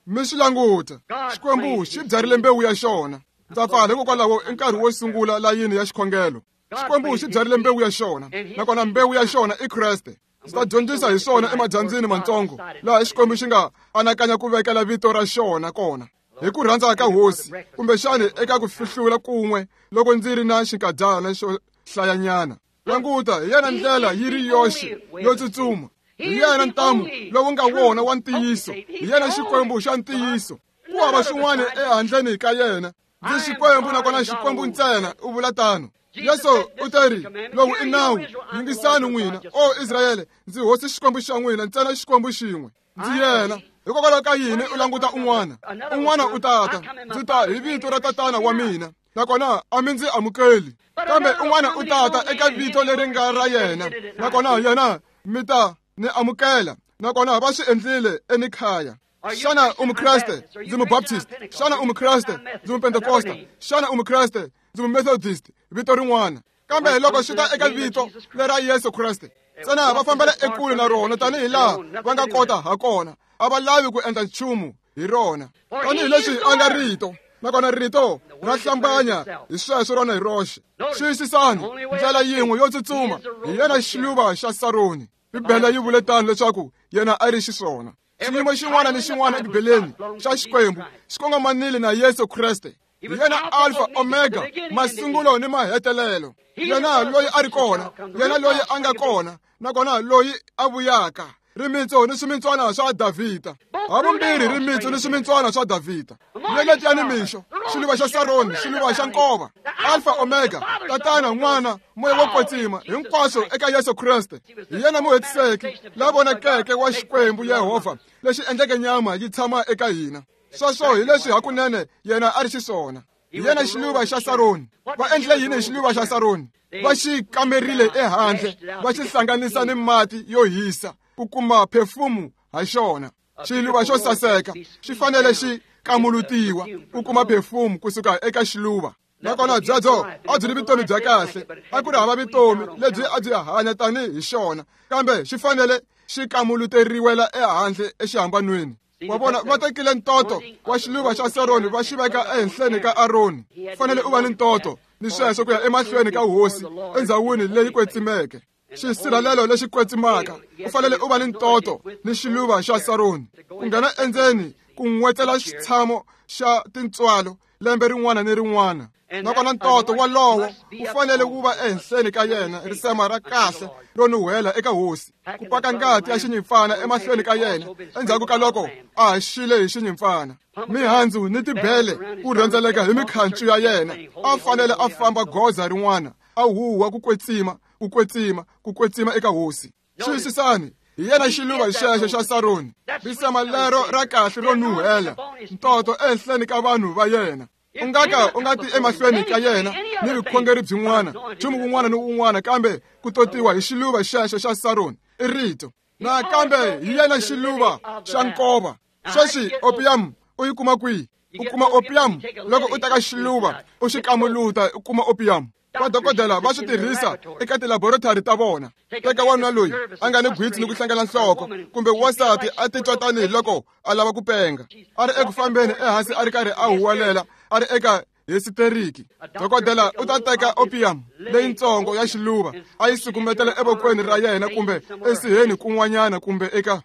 Mi swi languta, Xikwembu xi byarile mbewu ya xona. Ndza pfala hikokwalaho i nkarhi wo sungula layini ya xikhongelo. Xikwembu xi byarile mbewu ya xona, nakona mbewu ya xona i Kreste. Ndzi ta dyondzisa hi swona emadyambyini matsongo, laha Xikwembu xi nga anakanya ku vekela vito ra xona kona hi ku rhandza ka Hosi, kumbexani eka ku fihlula kun'we loko ndzi ri na xinkadyana xo hlayanyana. Languta, hi yena ndlela yi ri yoxe yo tsutsuma, hi yena ntamu lowu nga wona wa ntiyiso, hi yena Xikwembu xa ntiyiso. Ku hava xin'wana ehandleni ka yena. Ndzi Xikwembu nakona Xikwembu ntsena, u vula tano. Yesu u teri, lowu i nawu, yingisani n'wina, o Israyele, ndzi hosi Xikwembu xa n'wina, ntsena Xikwembu xin'we. Ndzi yena. Hikokwalaho ka yini u languta un'wana? Un'wana u tata, ndzi ta hi vito ra tatana wa mina, nakona a mi ndzi amukeli. Kambe un'wana u tata eka vito leri nga ra yena, nakona yena mi ta ni amukela. Nakona va swi endlile enikhaya. Xana u Mukreste? Ndzi Mubaptist. Xana u Mukreste? Ndzi Mupentekosta. Xana u Mukreste? Ndzi Mumethodist. Vito rin'wana. Kambe loko swi ta eka vito lera Yesu Kreste, ntsena va fambela ekule na rona tanihi laha va nga kota ha kona. A va lavi ku endla nchumu hi rona. Tanihileswi a nga rito, nakona rito ra hlambanya hi sweswo rona hi roxe. Xiyisisani, ndlela yin'we yo tsutsuma hi yena xiluva xa Saroni. Bibele yi vule tano leswaku yena a ri xiswona. Xiyimo xin'wana ni xin'wana eBibeleni xa Xikwembu xi kongomanile na Yesu Kreste. Hi yena Alpha Omega, masungulo ni mahetelelo. Yena loyi a ri kona, yena loyi a nga kona, nakona loyi a vuyaka. Rimitsu ni swimintswana swa Davhida. Havumbirhi rimitsu ni swimintswana swa Davhida. Nyeleti ya nimixo, xiluva xa Saroni, xiluva xa nkova. Alpha Omega, Tatana, N'wana, Moya wo Kwetsima, hinkwaswo eka Yesu Kreste. Hi yena muhetiseki la vonakeke wa Xikwembu Yehovha, lexi endleke nyama yi tshama eka hina. Sweswo hi leswi hakunene yena a ri xiswona. Hi yena xiluva xa Saroni. Va endlile yini hi xiluva xa Saroni? Va xi kamerile ehandle, va xi hlanganisa ni mati yo hisa ku kuma perfume ha xona. Xiluva xo saseka xi fanele xi kamulutiwa ku kuma perfume kusuka eka xiluva. Nakona byebyo a byi ri vutomi bya kahle, a ku ri hava vutomi lebyi a byi hanya tanihi xona, kambe xi fanele xi kamuluteriwela ehandle exihambanweni. Wa vona, va tekile ntoto wa xiluva xa Saroni va xi veka ehenhleni ka Aroni. Fanele u va ni ntoto ni sweswo ku ya emahlweni ka hosi endzhawini leyi kwetsimeke. Xisirhelelo lexi kwetsimaka, u fanele u va ni ntoto ni xiluva xa Saroni. Ku nghena endzeni ku n'wetela xitshamo xa tintswalo lembe rin'wana ni rin'wana. Nakona ntoto walowo wu fanele wu va ehenhleni ka yena, risema ra kahle ro nuhela eka hosi, ku paka ngati ya xinyimpfana emahlweni ka yena endzhaku ka loko a haxile hi xinyimpfana. Mihandzu ni tibele ku rhendzeleka hi mikhancu ya yena. A fanele a famba goza rin'wana, a huwa ku kwetsima, ku kwetsima, ku kwetsima eka hosi. Xiyisisani, hi yena xiluva xexo xa Saroni, risema lero ra kahle ro nuhela, ntoto ehenhleni ka vanhu va yena. U nga ka u nga ti emahlweni ka yena ni vukhongeri byin'wana, nchumu wun'wana ni wun'wana, kambe ku totiwa hi xiluva xexo xa Saroni i rito. Nakambe hi yena xiluva xa nkova. Sweswi opium u yi kuma kwihi? U kuma opium loko u teka xiluva u xi kamuluta, u kuma opium. Vadokodela va swi tirhisa eka tilaboratory ta vona. Teka wanuna loyi a nga ni gwitsi ni ku hlangana nhloko, kumbe wansati a titwa tanihiloko a lava ku penga, a ri eku fambeni ehansi a ri karhi a huwelela, a ri eka hysiteriki. Dokodela u ta teka opium leyitsongo ya xiluva a yi sukumetela evokweni ra yena kumbe esiheni kun'wanyana kumbe eka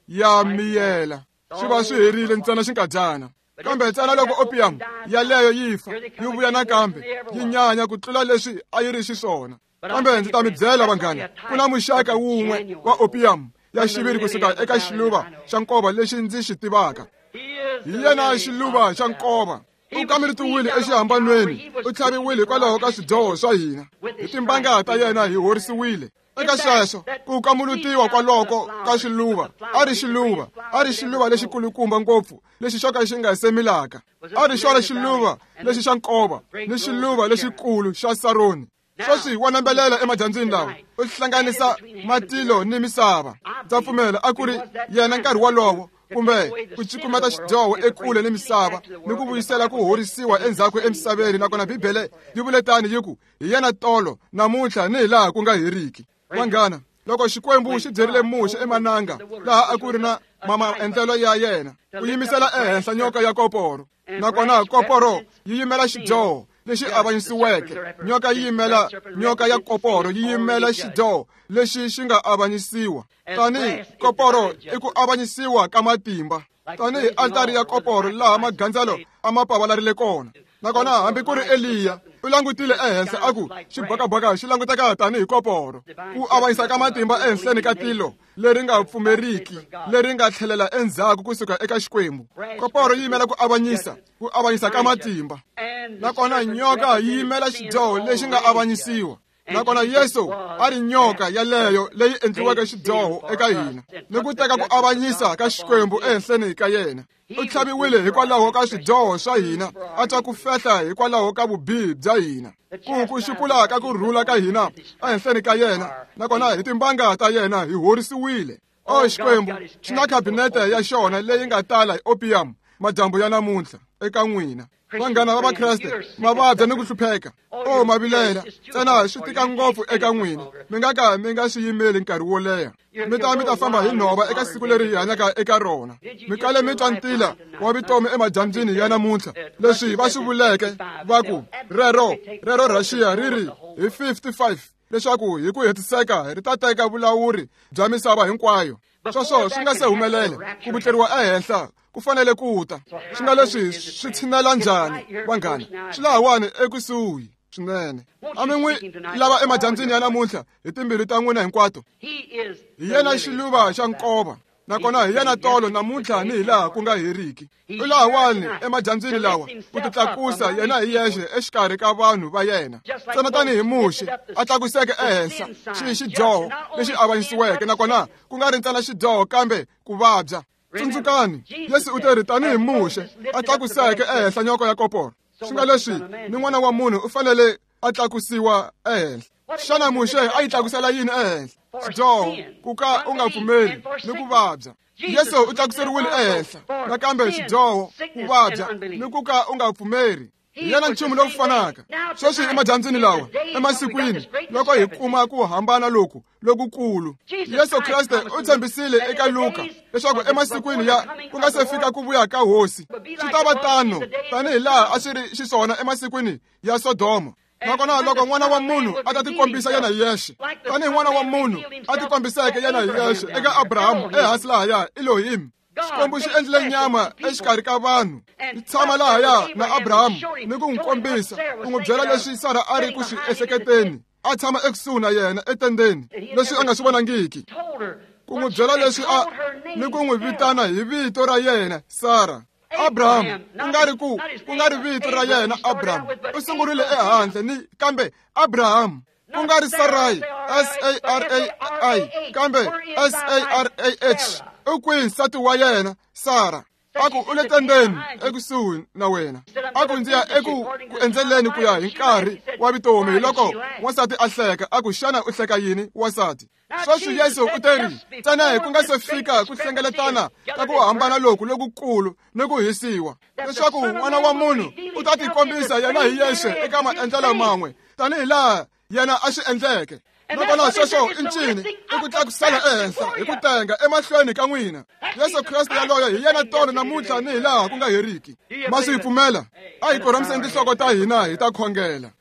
ya miyela. Swi va swi herile ntsena xinkadyana. Kambe ntsena loko opium yaleyo yi fa, yi vuya nakambe, yi nyanya ku tlula leswi a yi ri xiswona. Kambe ndzi ta mi byela vanghana, ku na muxaka wun'we wa opium ya xiviri kusuka eka xiluva xa nkova lexi ndzi xi tivaka. Hi yena xiluva xa nkova. U kameritiwile exihambanweni, u tlhaviwile hikwalaho ka swidyoho swa hina. Hi timbanga ta yena hi horisiwile. Eka sweswo ku kamulutiwa kwaloko ka xiluva, a ri xiluva, a ri xiluva lexikulukumba ngopfu lexi xo ka xi nga semilaka. A ri xona xiluva lexi xa nkova ni xiluva lexikulu xa Saroni. Sweswi wa nambelela emadyambyini lawa, u hlanganisa matilo ni misava. Ndza pfumela a ku ri yena nkarhi wolowo, kumbe ku cukumeta xidyoho ekule ni misava ni ku vuyisela ku horisiwa endzhaku emisaveni. Nakona Bibele yi vule tani yi ku hi yena tolo, namuntlha ni hi laha ku nga heriki. Vanghana, loko Xikwembu xi byerile Muxe emananga laha a ku ri na maendlelo ya yena, ku yimisela ehenhla nyoka ya koporo. Nakona koporo yi yimela xidyoho lexi avanyisiweke. Nyoka yi yimela nyoka ya koporo yi yimela xidyoho lexi xi nga avanyisiwa. Tanihi koporo i ku avanyisiwa ka matimba, tanihi altari ya koporo laha magandzelo a ma pavalarile kona. Nakona hambi ku ri Eliya u langutile ehenhla a ku xibakabaka xi languteka tanihi koporo. Ku avanyisa ka matimba ehenhleni ka tilo leri nga pfumeriki, leri nga tlhelela endzhaku kusuka eka Xikwembu. Koporo yi yimela ku avanyisa, ku avanyisa ka matimba. Nakona nyoka yi yimela xidyoho lexi nga avanyisiwa. Nakona Yesu a ri nyoka yaleyo leyi endliweke xidyoho eka hina, ni ku teka ku avanyisa ka Xikwembu ehenhleni ka yena. U tlhaviwile hikwalaho ka swidyoho swa hina, a twa ku fehla hikwalaho ka vubihi bya hina. Ku ku xupula ka ku rhula ka hina ehenhleni ka yena, nakona hi timbanga ta yena hi horisiwile. O Xikwembu xi na khabinete ya xona leyi nga tala hi opium madyambu ya namuntlha eka n'wina. Vanghana va Vakreste ma vabya ni ku hlupheka. O ma vilela ntsena swi tika ngopfu eka n'wina, mi nga ka mi nga swi yimeli nkarhi wo leha. Mi ta mi ta famba hi nhova eka siku leri hi hanyaka eka rona. Mi kale mi twa ntila wa vutomi emadyambyini ya namuntlha, leswi va swi vuleke va ku rero rero Russia ri ri hi fifty-five leswaku hi ku hetiseka ri ta teka vulawuri bya misava hinkwayo. Sweswo swi nga se humelela, ku vutleriwa ehenhla ku fanele ku ta. Swi nga leswi swi tshinela njhani vanghana? Swi lahawani ekusuhi swinene. A mi n'wi lava emadyambyini ya namuntlha hi timbilu ta n'wina hinkwato. Hi yena xiluva xa nkova, nakona hi yena tolo namuntlha ni hi laha ku nga heriki. U lahawani emadyambyini lawa ku titlakusa yena hi yexe exikarhi ka vanhu va yena, ntsena tanihi Muxe a tlakuseke ehenhla xi xidyoho lexi avanyisiweke, nakona ku nga ri ntsena xidyoho kambe ku vabya. Tsundzukani, Yesu u te ri tanihi Muxe a tlakuseke ehenhla nyoka ya koporo, swi nga leswi ni n'wana wa munhu u fanele a tlakusiwa ehenhla. Xana Muxe a yi tlakusela yini ehenhla? Xidyoho, ku ka u nga pfumeli ni ku vabya. Yesu u tlakuseriwile ehenhla nakambe xidyoho, ku vabya ni ku ka u nga pfumeri. Hi yena nchumu lowu fanaka sweswi emadyambyini lawa, emasikwini loko hi kuma ku hambana loku lokukulu. Yesu Kreste u tshembisile eka Luka leswaku emasikwini ya ku nga se fika ku vuya ka Hosi swi ta va tano tanihi laha a swi ri xiswona emasikwini ya Sodoma. Nakona loko n'wana wa munhu a ta tikombisa yena hi yexe tanihi n'wana wa munhu a tikombiseke yena hi yexe eka Abrahamu ehansi lahaya Elohim, Xikwembu xi endlile nyama exikarhi ka vanhu, xi tshama lahaya na Abrahamu ni ku n'wi kombisa, ku n'wi byela leswi Sara a ri ku swi ehleketeni, a tshama ekusuhi na yena etendeni, leswi a nga swi vonangiki, ku n'wi byela leswi a ni ku n'wi vitana hi vito ra yena Sara. Abraham ku nga ri ku ku nga ri vito ra yena Abraham, u sungurile ehandle ni kambe Abraham, ku nga ri Sarai S A R A I kambe S A R A H. U kwihi nsati wa yena Sara? A ku u le tendeni ekusuhi na wena. A ku ndzi ya eku ku endzeleni ku ya hi nkarhi wa vutomi. Hi loko wansati a hleka, a ku xana u hleka yini wansati? Sweswi Yesu u te ri ntsena hi ku nga se fika ku hlengeletana ka ku hambana loku lokukulu ni ku hisiwa, leswaku n'wana wa munhu u ta tikombisa yena hi yexe eka maendlelo man'we tanihi laha yena a swi endleke. Nakona sweswo i ncini? I ku tlakusela ehenhla hi ku tenga emahlweni ka n'wina. Yesu Kreste yaloye hi yena tolo namuntlha ni hi laha ku nga heriki. Ma swi pfumela? A hi korhamiseni tinhloko ta hina hi ta khongela.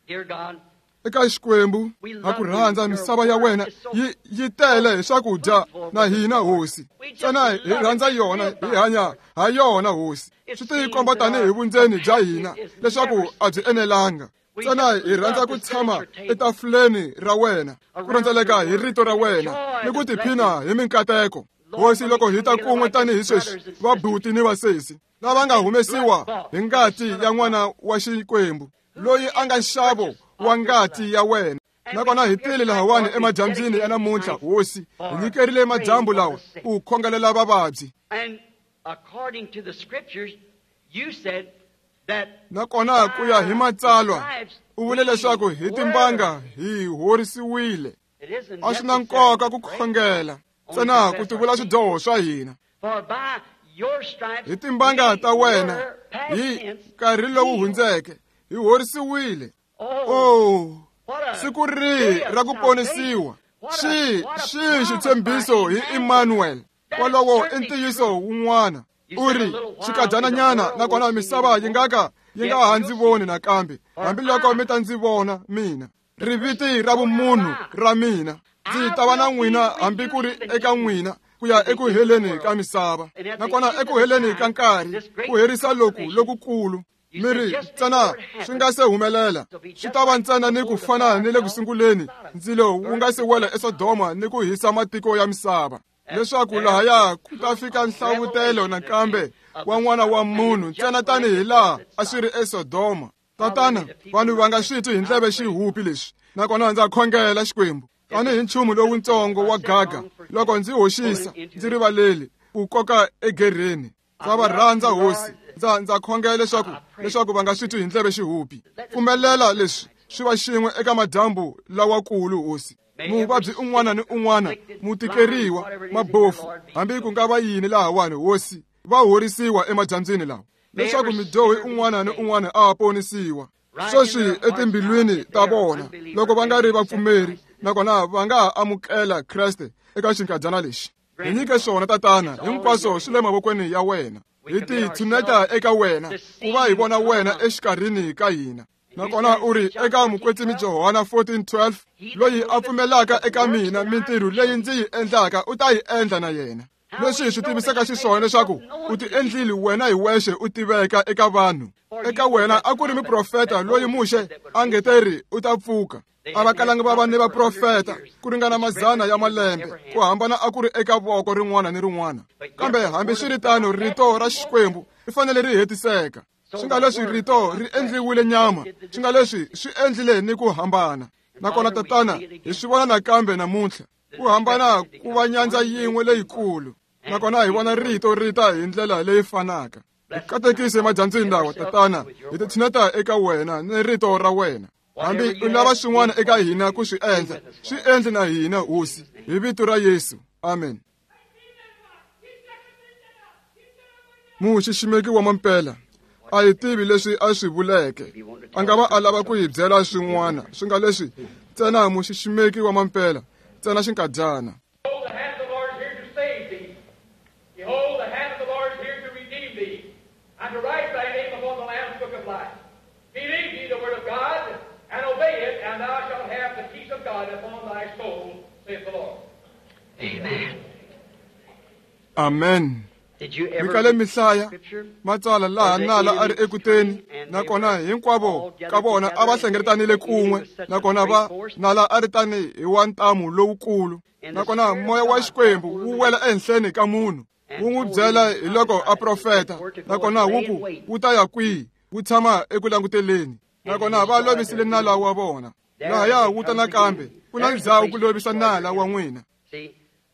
Eka Xikwembu ha ku rhandza, misava ya wena yi yi tele hi swakudya na hina Hosi. Ntsena hi rhandza yona, hi hanya ha yona Hosi. Swi tikomba tanihi vundzeni bya hina leswaku a byi enelanga. Ntsena hi rhandza ku tshama etafuleni ra wena, ku rhendzeleka hi rito ra wena ni ku tiphina hi minkateko. Hosi, loko hi ta kun'we tanihi sweswi vabuti ni vasesi lava nga humesiwa hi ngati ya n'wana wa Xikwembu, loyi a nga nxavo wa ngati ya wena. Nakona hi tile lahawani emadyambyini ya namuntlha Hosi, hi nyikerile madyambu lawa ku khongelela vavabyi. Nakona ku ya hi matsalwa u vule leswaku hi timbanga hi horisiwile. A swi na nkoka ku khongela ntsena ku tivula swidyoho swa hina. Hi timbanga ta wena hi nkarhi lowu hundzeke hi horisiwile. Oh, siku rihi ra ku ponisiwa! Xi xi xitshembiso hi Emmanuel. Wolowo i ntiyiso wun'wana. U ri xikadyananyana, nakona misava yi nga ka yi nga ha ndzi voni nakambe, hambiloko mi ta ndzi vona mina. Riviti ra vumunhu ra mina, ndzi ta va na n'wina hambi ku ri eka n'wina ku ya eku heleni ka misava. Nakona eku heleni ka nkarhi ku herisa loku lokukulu, mi ri ntsena swi nga se humelela, swi ta va ntsena ni ku fana ni le ku sunguleni ndzilo wu nga se wela eSodoma ni ku hisa matiko ya misava, leswaku lahaya ku ta fika nhlavutelo nakambe wa n'wana wa munhu ntsena tanihi laha a swi ri eSodoma. Tatana, vanhu va nga swi twi hi ndleve xihupi leswi, nakona ndza khongela Xikwembu tanihi nchumu lowutsongo wa gaga, loko ndzi hoxisa ndzi rivaleli ku koka egereni. Ndza va rhandza Hosi, ndza ndza khongela leswaku leswaku va nga swi twi hi ndleve xihupi. Pfumelela leswi swi va xin'we eka madyambu lawakulu Hosi. Muvabyi un'wana ni un'wana, mutikeriwa, mabofu, hambi ku nga va yini lahawani, Hosi, va horisiwa emadyambyini lawa, leswaku midyohi un'wana ni un'wana a ponisiwa. Sweswi etimbilwini ta vona, loko va nga ri vapfumeri, nakona va nga ha amukela Kreste eka xinkadyana lexi. Hi nyike swona, Tatana, hinkwaswo swi le mavokweni ya wena. Hi ti tshuneta eka wena, ku va hi vona wena exikarhini ka hina. Nakona u ri eka mukwetsimi Johana fourteen twelve, loyi a pfumelaka eka mina, mintirho leyi ndzi yi endlaka u ta yi endla na yena. Leswi hi swi tivisaka xiswona leswaku u ti endlile wena hi wexe u tiveka eka vanhu. Eka wena a ku ri muprofeta loyi Muxe a nge teri u ta pfuka. A va kalanga va va ni vaprofeta ku ringana mazana ya malembe, ku hambana a ku ri eka voko rin'wana ni rin'wana. Kambe hambiswiritano rito ra Xikwembu ri fanele ri hetiseka. Swi nga leswi rito ri endliwile nyama, swi nga leswi swi endlile ni ku hambana. Nakona Tatana, hi swi vona nakambe namuntlha, ku hambana ku va nyandza yin'we leyikulu. Nakona hi vona rito ri ta hi ndlela leyi fanaka. Hi katekise emadyambyini lawa, Tatana, hi ti tshineta eka wena ni rito ra wena. Hambi u lava swin'wana eka hina ku swi endla, swi endle na hina, Hosi, hi vito ra Yesu. Amen. Muxiximeki wa mampela a hi tivi leswi a swi vuleke. A nga va a lava ku hi byela swin'wana, swi nga leswi ntsena muxiximeki wa mampela, ntsena xinkadyana. Amen. Mikale mihlaya matsala laha nala a ri ekuteni, nakona hinkwavo ka vona a va hlengeletanile kun'we, nakona va nala a ri tani hi wa ntamu lowukulu, nakona moya wa Xikwembu wu wela ehenhleni ka munhu, wu n'wi byela hi loko a profeta, nakona wu ku wu ta ya kwihi, wu tshama eku languteleni, nakona va lovisile nala wa vona. Lahaya wu ta nakambe, ku na ndzhawu ku lovisa nala wa n'wina.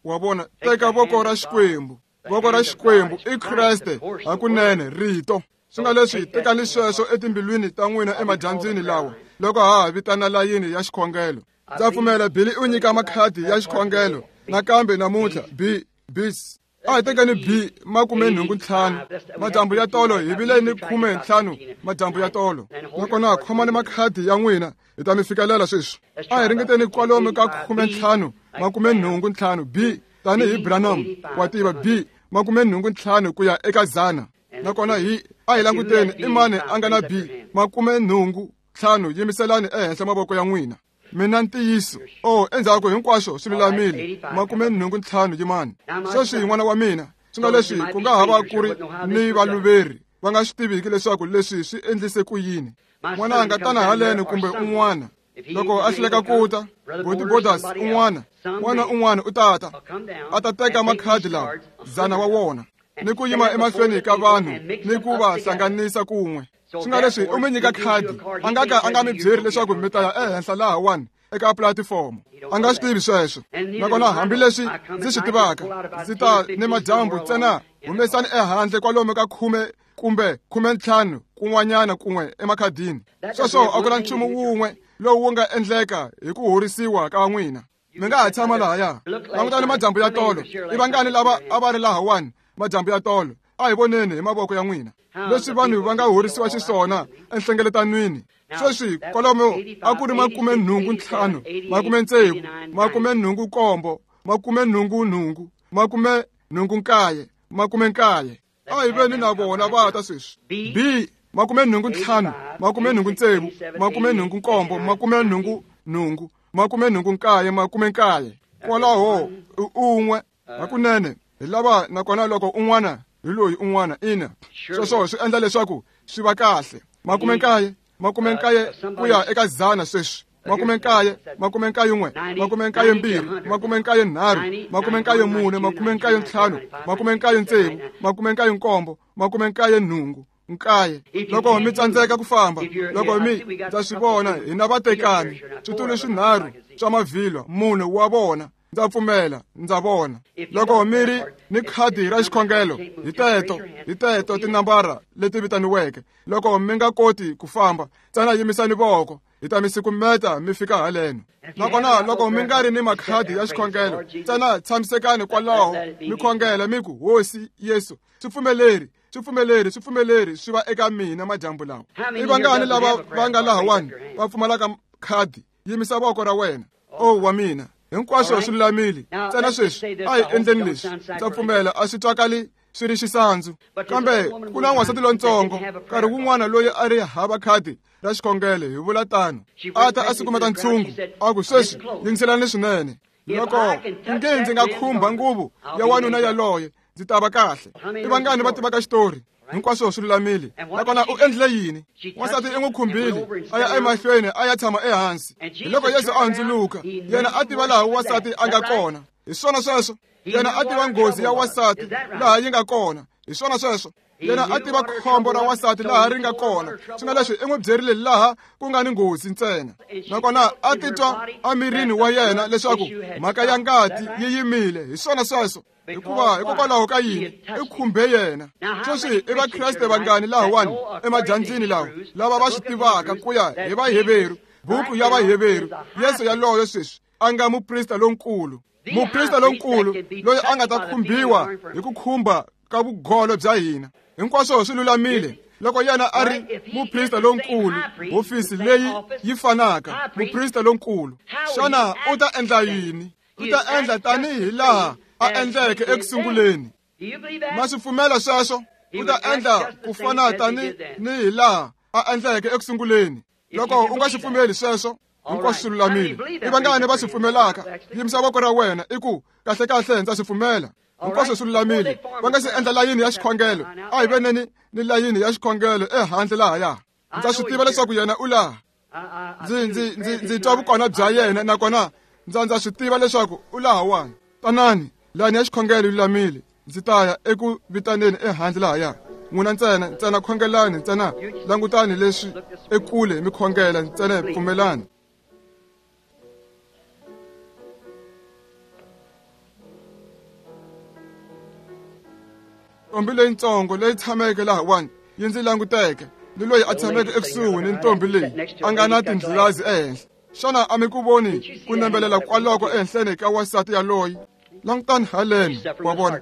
Wa vona, teka voko ra Xikwembu. Voko ra Xikwembu i Kreste hakunene, rito. Swi nga leswi tekani sweswo etimbilwini ta n'wina emadyambyini lawa, loko ha ha vitana layini ya xikhongelo. Ndza pfumela Billy u nyika makhadi ya xikhongelo nakambe namuntlha. B bis a hi tekeni B makume nhungu ntlhanu. Madyambu ya tolo hi vile ni khume ntlhanu madyambu ya tolo. Nakona khomani makhadi ya n'wina, hi ta mi fikelela sweswi. A hi ringeteni kwalomu ka khume ntlhanu makume nhungu ntlhanu B tanihi Branham wa tiva B makume nhungu ntlhanu ku ya eka zana. Nakona hi a hi languteni i mani a nga na B makume nhungu ntlhanu, yimiselani ehenhla mavoko ya n'wina. Mina ntiyiso, oh, endzhaku hinkwaswo swi lulamile, makume nhungu ntlhanu yimani. Sweswi n'wana wa mina, swi nga leswi ku nga ha va ku ri ni valuveri va nga swi tiviki leswaku leswi swi endlise ku yini. N'wananga tana haleni kumbe un'wana, loko a hluleka ku ta, Boti Borders un'wana, n'wana un'wana u tata a ta teka makhadi lawa zana wa wona, ni ku yima emahlweni ka vanhu ni ku va hlanganisa kun'we. Swi nga leswi u mi nyika khadi, a nga ka a nga mi byeri leswaku mi ta ya ehenhla lahawani eka platifomo. A nga swi tivi sweswo. Nakona hambileswi ndzi swi tivaka, ndzi ta ni madyambu ntsena humesani ehandle kwalomu ka khume kumbe khume ntlhanu kun'wanyana kun'we emakhadini. Sweswo a ku na nchumu wun'we lowu wu nga endleka hi ku horisiwa ka n'wina. Mi nga ha tshama lahaya. Langutani madyambu ya tolo. I vangani lava a va ri lahawani madyambu ya tolo? A hi voneni hi mavoko ya n'wina leswi vanhu va nga horisiwa xiswona enhlengeletanweni. Sweswi kwalomu a ku ri makume nhungu ntlhanu, makume ntsevu, makume nhungu nkombo, makume nhungu nhungu, makume nhungu nkaye, makume nkaye. A hi veni na vona va ta sweswi. B makume nhungu ntlhanu, makume nhungu ntsevu, makume nhungu nkombo, makume nhungu nhungu, makume nhungu nkaye, makume nkaye. Kwalaho un'we hakunene hi lava, nakona loko un'wana hi loyi un'wana ina. Sweswo swi endla leswaku swi va kahle. Makume nkaye, makume nkaye ku ya eka zana sweswi. Makume nkaye, makume nkaye n'we, makume nkaye mbirhi, makume nkaye nharhu, makume nkaye mune, makume nkaye ntlhanu, makume nkaye ntsevu, makume nkaye nkombo, makume nkaye nhungu, nkaye. Loko mi tsandzeka ku famba, loko mi ndza swi vona hina vatekani, switulu swinharhu swa mavhilwa, mune wa vona. Ndza pfumela, ndza vona. Loko mi ri ni khadi ra xikhongelo, hi teto, hi teto tinambara leti vitaniweke. Loko mi nga koti ku famba, ntsena yimisani voko. Hi ta mi sukumeta mi fika haleno. Nakona loko mi nga ri ni makhadi ya xikhongelo, ntsena tshamisekani kwalaho mi khongela mi ku, Hosi Yesu, swi pfumeleri, swi pfumeleri, swi pfumeleri swi va eka mina madyambu lawa. I vangani lava va nga lahawani va pfumalaka khadi? Yimisa voko ra wena. O wa mina, hinkwaswo swi lulamile. Ntsena sweswi a hi endleni leswi. Ndza pfumela a swi twakali swi ri xisandzu, kambe ku na n'wansati lontsongo nkarhi wun'wana loyi a ri hava khadi ra xikhongelo, hi vula tano, a ta a sukumeta ntshungu a ku, sweswi yingiselani swinene, loko nge ndzi nga khumba nguvu ya wanuna yaloye ndzi ta va kahle. I vangani va tivaka xitori? Hinkwaswo swi lulamile. Nakona u endlile yini? Wansati i n'wi khumbile, a ya emahlweni a ya tshama ehansi. Hi loko Yesu a hundzuluka, yena a tiva laha wansati a nga kona. Hi swona sweswo. Yena a tiva nghozi ya wansati laha yi nga kona. Hi swona sweswo. Yena a tiva khombo ra wansati laha ri nga kona. Swi nga leswi i n'wi byerile laha ku nga ni nghozi ntsena. Nakona a titwa emirini wa yena leswaku mhaka ya ngati yi yimile. Hi swona sweswo. Hikuva hikokwalaho ka yini? I khumbe yena. Sweswi i Vakreste vangani lahawani emadyambyini lawa lava va swi tivaka ku ya hi Vaheveru, buku ya Vaheveru, Yesu yaloyo sweswi a nga muprista lonkulu. Muprista lonkulu loyi a nga ta khumbiwa hi ku khumba ka vugolo bya hina. Hinkwaswo swi lulamile. Loko yena a ri muprista lonkulu, hofisi leyi yi fanaka, muprista lonkulu, xana u ta endla yini? U ta endla tanihi laha a endleke ekusunguleni. Ma swi pfumela sweswo? U ta endla ku fana tani ni hi laha a endleke ekusunguleni. Loko u nga swi pfumeli sweswo, hinkwaswo swi lulamile. I vangani va swi pfumelaka? Yimisa voko ra wena i ku, kahle kahle ndza swi pfumela. Hinkwaswo swi lulamile. Va nga si endla layini ya xikhongelo, a hi veneni ni layini ya xikhongelo ehandle lahaya. Ndza swi tiva leswaku yena u laha. Ndzi ndzi ndzi ndzi twa vukona bya yena, nakona ndza ndza swi tiva leswaku u lahawani. Tanani, layini ya xikhongelo yi lulamile. Ndzi ta ya eku vitaneni ehandle lahaya. N'wina ntsena, ntsena khongelani, ntsena langutani leswi ekule mi khongela, ntsena pfumelani. Ntombi leyintsongo leyi tshameke lahawani yi ndzi languteke, ni loyi a tshameke ekusuhi ni ntombi leyi a nga na tindlilazi ehenhla. Xana a mi ku voni ku nembelela kwaloko ehenhleni ka wansati yaloyi? Langutani haleni, wa vona.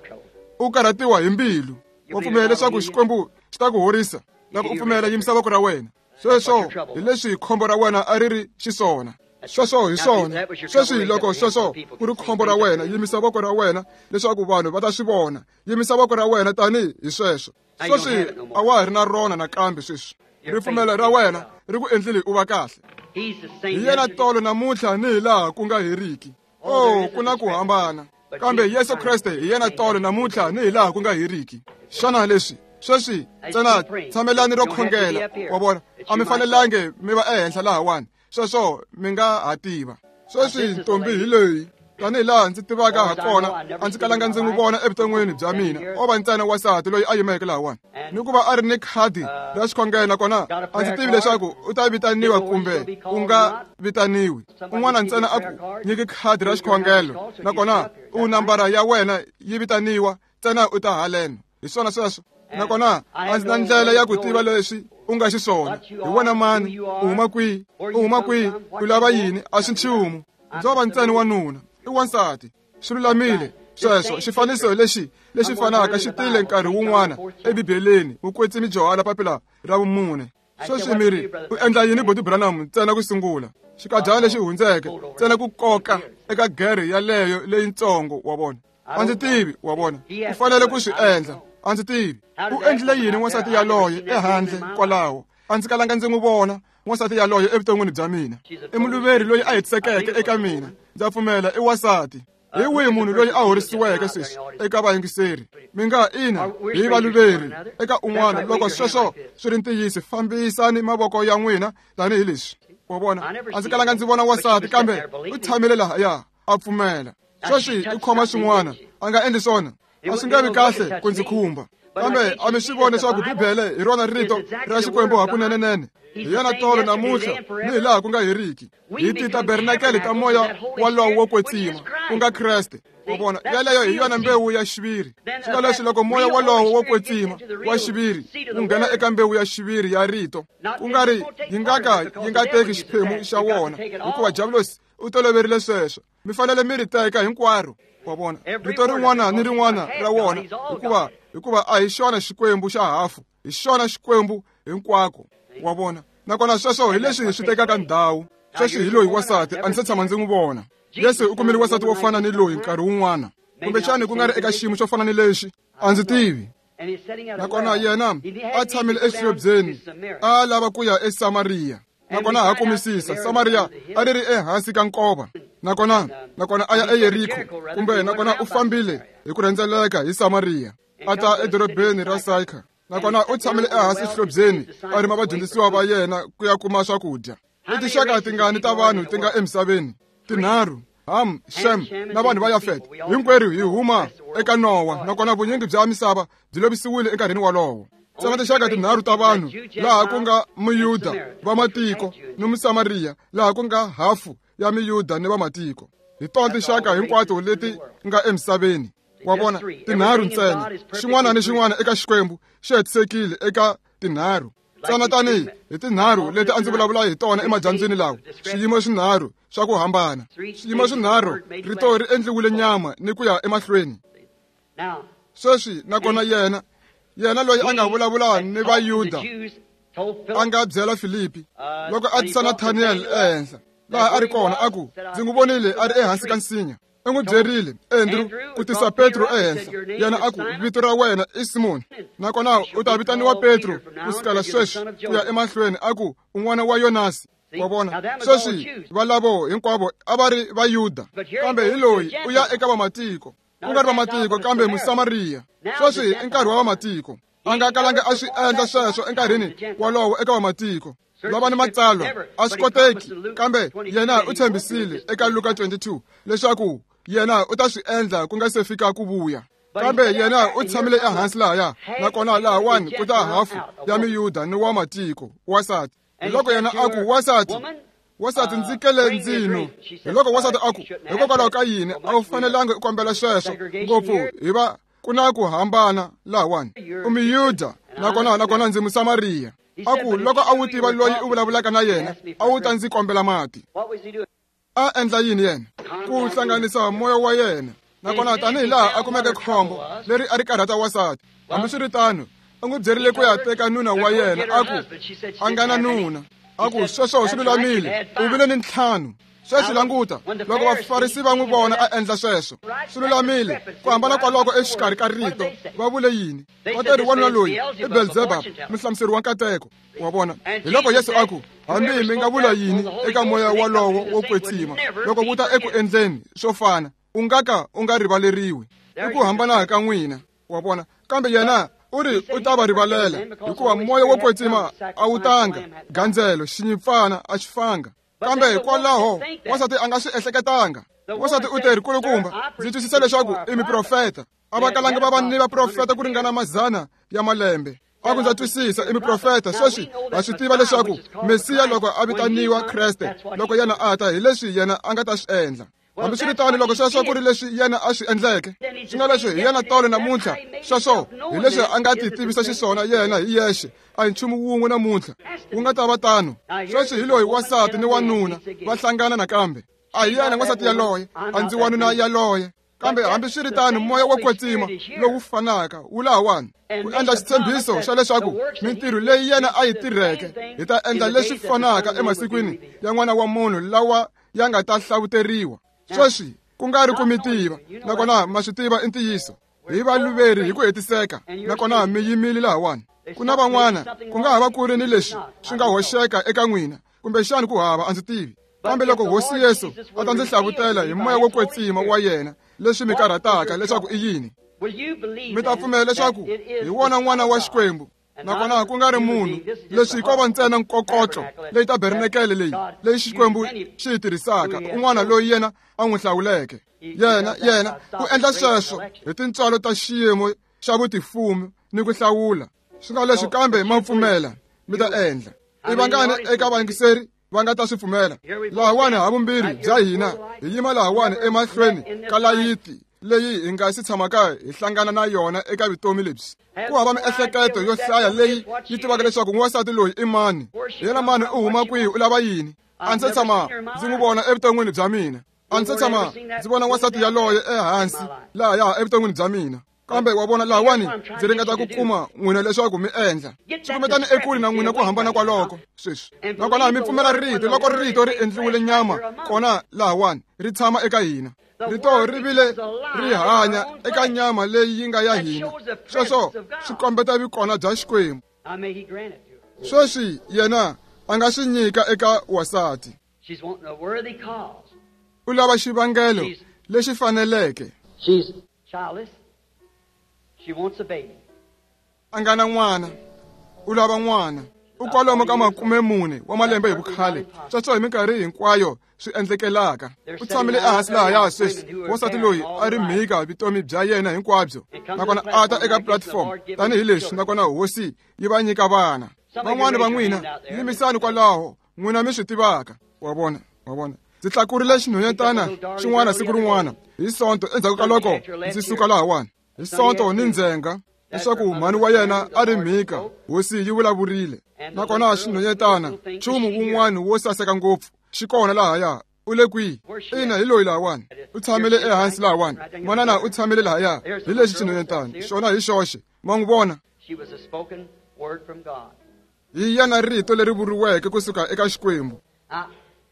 U karhatiwa hi mbilu. Wa pfumela leswaku Xikwembu xi ta ku horisa? Loko u pfumela, yimisa voko ra wena. Sweswo hi leswi khombo ra wena a ri ri xiswona. Sweswo hi swona. Sweswi loko sweswo ku ri khombo ra wena, yimisa voko ra wena leswaku vanhu va ta swi vona. Yimisa voko ra wena tanihi hi sweswo. Sweswi a wa ha ri na rona nakambe sweswi. Ripfumelo ra wena ri ku endlile u va kahle. Hi yena tolo namuntlha ni hi laha ku nga heriki. Oh, ku na ku hambana. Kambe Yesu Kreste hi yena tolo namuntlha ni hi laha ku nga heriki. Xana leswi sweswi ntsena tshamelani ro khongela, wa vona, a mi fanelangi mi va ehenhla lahawani. Sweswo mi nga ha tiva. Sweswi ntombi hi leyi, tanihi laha ndzi tivaka ha kona, a ndzi kalanga ndzi n'wi vona evuton'wini bya mina. O va ntsena wansati loyi a yimeke lahawani, ni ku va a ri ni khadi ra xikhongelo, nakona a ndzi tivi leswaku u ta vitaniwa kumbe u nga vitaniwi. Un'wana ntsena a ku nyiki khadi ra xikhongelo, nakona u nambara ya wena yi vitaniwa, ntsena u ta haleno. Hi swona sweswo. Nakona a ndzi na ndlela ya ku tiva leswi u nga xiswona. Hi wena mani? U huma kwihi? U huma kwihi? U lava yini? A swi nchumu. Ndzo va ntsena wanuna. I wansati. Swi lulamile sweswo. Xifaniso lexi lexi fanaka xi tile nkarhi wun'wana eBibeleni, Mukwetsimi Johana papila ra vumune. Sweswi mi ri, u endla yini Boti Branham? Ntsena ku sungula xikadyana lexi hundzeke, ntsena ku koka eka gere yaleyo leyintsongo, wa vona. A ndzi tivi, wa vona. U fanele ku swi endla. A ndzi tivi. U endlile yini wansati yaloye ehandle kwalaho? A ndzi kalanga ndzi n'wi vona wansati yaloye evuton'wini bya mina. I muluveri loyi a hetisekeke eka mina. Ndza pfumela i wansati. Hi wihi munhu loyi a horisiweke sweswi eka vayingiseri? Mi nga ina hi valuveri eka un'wana. Loko sweswo swi ri ntiyiso, fambisani mavoko ya n'wina tanihi leswi. Wa vona, a ndzi kalanga ndzi vona wansati, kambe u tshamile lahaya a pfumela. Sweswi i khoma swin'wana, a nga endli swona. A swi nga vi kahle ku ndzi khumba. Kambe a mi swi voni leswaku Bibele hi rona rito ra Xikwembu hakunenenene? Hi yena tolo namuntlha ni hi laha ku nga heriki. Hi titabernakele ta moya walowo wo kwetsima, ku nga Kreste. Wa vona, yaleyo hi yona mbewu ya xiviri. Swi nga leswi loko moya wolowo wo kwetsima wa xiviri wu nghena eka mbewu ya xiviri ya rito, ku nga ri yi nga ka yi nga teki xiphemu xa wona, hikuva Diabolosi u toloverile sweswo. Mi fanele mi ri teka hinkwaro. Wa vona, rito rin'wana ni rin'wana ra wona, hikuva hikuva a hi xona Xikwembu xa hafu, hi xona Xikwembu hinkwako. Wa vona, nakona sweswo hi leswi swi tekaka ndhawu. Sweswi hi loyi wansati a ndzi se tshama ndzi n'wi vona. Yesu u kumile wansati wo fana ni loyi nkarhi wun'wana, kumbexani ku nga ri eka xiyimo xo fana ni lexi, a ndzi tivi. Nakona yena a tshamile exihlobyeni, a lava ku ya eSamariya. Nakona ha kumisisa Samariya a ri ri ehansi ka nkova. Nakona nakona a ya eYeriko, kumbe nakona u fambile hi ku rhendzeleka hi Samariya, a ta edorobeni ra Saika. Nakona u tshamile ehansi exihlobyeni a rima vadyondzisiwa va yena ku ya kuma swakudya. I tinxaka tingani ta vanhu ti nga emisaveni? Tinharhu: Ham, Shem na vanhu va Yafet. Hinkwerhu hi huma eka Nowa, nakona vunyingi bya misava byi lovisiwile enkarhini wolowo. Ntsena tinxaka tinharhu ta vanhu, laha ku nga Muyuda, vamatiko ni Musamariya, laha ku nga hafu ya Miyuda ni vamatiko. Hi tona tinxaka hinkwato leti nga emisaveni. Wa vona, tinharhu ntsena. Xin'wana ni xin'wana eka Xikwembu xi hetisekile eka tinharhu. Ntsena tanihi hi tinharhu leti a ndzi vulavula hi tona emadyambyini lawa, swiyimo swinharhu swa ku hambana. Swiyimo swinharhu, rito ri endliwile nyama ni ku ya emahlweni. Sweswi nakona yena yena loyi a nga vulavula ni Vayuda a nga byela Filipi loko a tisa Nathaniel ehenhla laha a ri kona, a ku, ndzi n'wi vonile a ri ehansi ka nsinya. U n'wi byerile Andrew ku tisa Petro ehenhla. Yena a ku, vito ra wena i Simoni, nakona u ta vitaniwa Petro ku sukela sweswi ku ya emahlweni. A ku, un'wana wa Yonasi. Wa vona, sweswi valavo hinkwavo a va ri Vayuda, kambe hi loyi u ya eka vamatiko, ku nga ri vamatiko kambe Musamariya. Sweswi i nkarhi wa vamatiko. A nga kalanga a swi endla sweswo enkarhini wolowo eka vamatiko. Lava ni matsalwa a swi koteki, kambe yena u tshembisile eka Luka twenty-two leswaku yena u ta swi endla ku nga se fika ku vuya. Kambe yena u tshamile ehansi lahaya, nakona lahawani ku ta hafu ya Miyuda ni wa matiko, wansati. Hiloko yena a ku, wansati, wansati ndzi kele ndzino. Hiloko wansati a ku, hikokwalaho ka yini a wu fanelanga u kombela sweswo ngopfu, hi va ku na ku hambana lahawani. U Miyuda, nakona nakona ndzi Musamariya. A ku, loko a wu tiva loyi u vulavulaka na yena, a wu ta ndzi kombela mati. A endla yini yena? Ku hlanganisa moya wa yena. Nakona tanihi laha a kumeke khombo leri a ri karhata wansati. Hambiswiritano, u n'wi byerile ku ya teka nuna wa yena, a ku a nga na nuna. A ku, sweswo swi lulamile, u vile ni ntlhanu. Sweswi languta, loko Vafarisi va n'wi vona a endla sweswo, swi lulamile. Ku hambana kwaloko exikarhi ka rito, va vule yini? Va teri wanuna loyi i Belzebub, muhlamuseri wa nkateko. Wa vona, hiloko Yesu a ku, hambi mi nga vula yini eka moya wolowo wo kwetsima, loko wu ta eku endleni swo fana, u nga ka u nga rivaleriwi. I ku hambana ka n'wina. Wa vona, kambe yena u ri u ta va rivalela, hikuva moya wo kwetsima a wu tanga gandzelo, xinyimpfana a xi fanga. Kambe hikwalaho wansati a nga swi ehleketanga. Wansati u teri, kulukumba, ndzi twisisa leswaku i miprofeta. A va kalanga va va ni vaprofeta ku ringana mazana ya malembe. A ku, ndza twisisa i miprofeta. Sweswi ha swi tiva leswaku Mesiya loko a vitaniwa Kreste, loko yena a ta, hi leswi yena a nga ta swi endla. Hambiswiritano, loko sweswo ku ri leswi yena a swi endleke, swi nga leswi hi yena tolo namuntlha, sweswo hi leswi a nga ti tivisa xiswona yena hi yexe, a hi nchumu wun'we namuntlha wu nga ta va tano. Sweswi hi loyi wansati ni wanuna va hlangana nakambe. A hi yena wansati yaloye, a ndzi wanuna yaloye. Kambe hambiswiritano, moya wo kwetsima lowu fanaka wu lahawani ku endla xitshembiso xa leswaku mintirho leyi yena a yi tirheke hi ta endla leswi fanaka emasikwini ya n'wana wa munhu lawa ya nga ta hlavuteriwa. Sweswi ku nga ri ku mi tiva, nakona ma swi tiva i ntiyiso. Hi valuveri hi ku hetiseka, nakona mi yimile lahawani. Ku na van'wana ku nga ha va ku ri ni leswi swi nga hoxeka eka n'wina, kumbexani ku hava, a ndzi tivi. Kambe loko Hosi Yesu a ta ndzi hlavutela hi moya wo kwetsima wa yena leswi mi karhataka leswaku i yini, mi ta pfumela leswaku hi wona n'wana wa Xikwembu, nakona ku nga ri munhu. Leswi ko va ntsena nkokotlo leyi tabernakele leyi leyi Xikwembu xi yi tirhisaka, un'wana loyi yena a n'wi hlawuleke. Yena yena u endla sweswo hi tintswalo ta xiyimo xa vutifumi ni ku hlawula. Swi nga leswi kambe ma pfumela mi ta endla. I vangani eka vayingiseri va nga ta swi pfumela. Lahawani havumbirhi bya hina hi yima lahawani emahlweni ka layiti leyi hi nga si tshamaka hi hlangana na yona eka vutomi lebyi. Ku hava miehleketo yo hlaya leyi yi tivaka leswaku n'wansati loyi i mani, yena mani, u huma kwihi, u lava yini. A ndzi se tshama ndzi n'wi vona evuton'wini bya mina. A ndzi se tshama ndzi vona n'wansati yaloye ehansi lahaya evuton'wini bya mina. Kambe wa vona lahawani ndzi ringeta ku kuma n'wina leswaku mi endla swi kumetani ekule na n'wina ku hambana kwaloko sweswi. Nakona mi pfumela rito loko rito ri endliwile nyama kona lahawani ri tshama eka hina. Rito ri vile ri hanya eka nyama leyi yi nga ya hina. Sweswo swi kombeta vukona bya Xikwembu. Sweswi yena a nga swi nyika eka wasati. U lava xivangelo lexi faneleke. A nga na n'wana, u lava n'wana. U kwalomu ka makume mune wa malembe hi vukhale. Sweswo hi minkarhi hinkwayo swi endlekelaka. U tshamile ehansi lahaya sweswi. Wansati loyi a ri mhika vutomi bya yena hinkwabyo, nakona a ta eka platform tanihileswi, nakona hosi yi va nyika vana. Van'wani va n'wina yimisani kwalaho, n'wina mi swi tivaka. Wa vona, wa vona. Ndzi tlakurile xinhwanyetana xin'wana siku rin'wana hi Sonto endzhaku ka loko ndzi suka lahawani. Hi Sonto ni ndzhenga leswaku mhani wa yena a ri mhika, hosi yi vulavurile. Nakona xinhwanyetana nchumu wun'wana wo saseka ngopfu xi kona lahaya. U le kwihi? Ina, hi loyi lahawani. U tshamile ehansi lahawani. Manana u tshamile lahaya. Hi lexi xinhwanyetana xona hi xoxe. Ma n'wi vona? Hi yena rito leri vuriweke kusuka eka Xikwembu.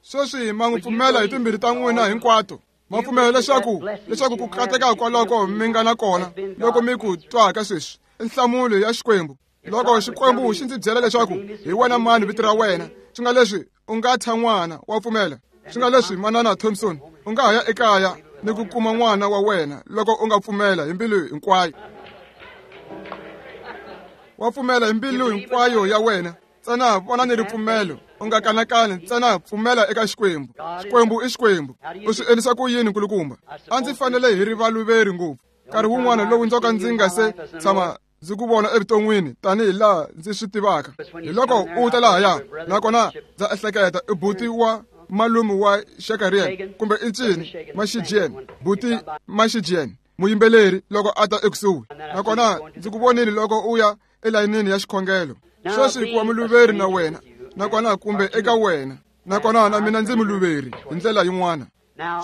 Sweswi ma n'wi pfumela hi timbirhi ta n'wina hinkwato. Ma pfumela leswaku leswaku ku kateka kwaloko mi nga na kona loko mi ku twaka sweswi i nhlamulo ya Xikwembu. Loko Xikwembu xi ndzi byela leswaku hi wena mani vito ra wena, swi nga leswi u nga thya n'wana, wa pfumela. Swi nga leswi manana Thompson, u nga ha ya ekaya ni ku kuma n'wana wa wena loko u nga pfumela hi mbilu hinkwayo. Wa pfumela hi mbilu hinkwayo ya wena. Ntsena vona ni ripfumelo, u nga kanakani, ntsena pfumela eka Xikwembu. Xikwembu i Xikwembu. U swi endlisa ku yini nkulukumba? A ndzi fanele hi ri valuveri ngopfu. Nkarhi wun'wana lowu ndzo ka ndzi nga se tshama ndzi ku vona evuton'wini tanihi laha ndzi swi tivaka. Hi loko u ta lahaya, nakona ndza ehleketa i buti wa malume wa Shakarian kumbe i ncini Mashijian, buti Mashijian, muyimbeleri loko a ta ekusuhi. Nakona ndzi ku vonile loko u ya elayinini ya xikhongelo. Sweswi ku wa muluveri na wena, nakona kumbe eka wena, nakona na mina ndzi muluveri hi ndlela yin'wana.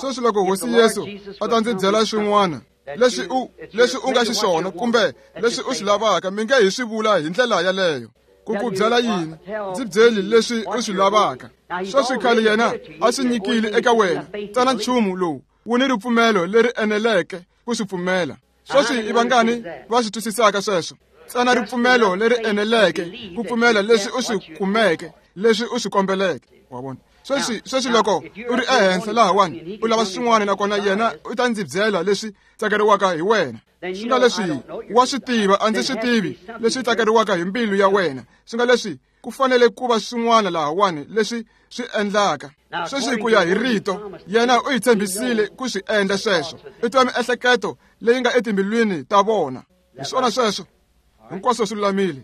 Sweswi loko hosi Yesu a ta ndzi byela swin'wana leswi u leswi u nga xiswona kumbe leswi u swi lavaka, mi nge hi swi vula hi ndlela yaleyo. Ku ku byela yini? Ndzi byeli leswi u swi lavaka. Sweswi khale yena a swi nyikile eka wena, ntsena nchumu lowu wu ni ripfumelo leri eneleke ku swi pfumela. Sweswi i vangani va swi twisisaka sweswo? Ntsena ripfumelo leri eneleke ku pfumela leswi u swi kumeke, leswi u swi kombeleke. Wa vona? Sweswi sweswi loko u ri ehenhla lahawani u lava swin'wana, nakona yena u ta ndzi byela leswi tsakeriwaka hi wena. Swi nga leswi wa swi tiva, a ndzi swi tivi leswi tsakeriwaka hi mbilu ya wena. Swi nga leswi ku fanele ku va swin'wana lahawani leswi swi endlaka. Sweswi ku ya hi rito, yena u hi tshembisile ku swi endla sweswo. I twa miehleketo leyi nga etimbilwini ta vona. Hi swona sweswo. Hinkwaswo swi lulamile.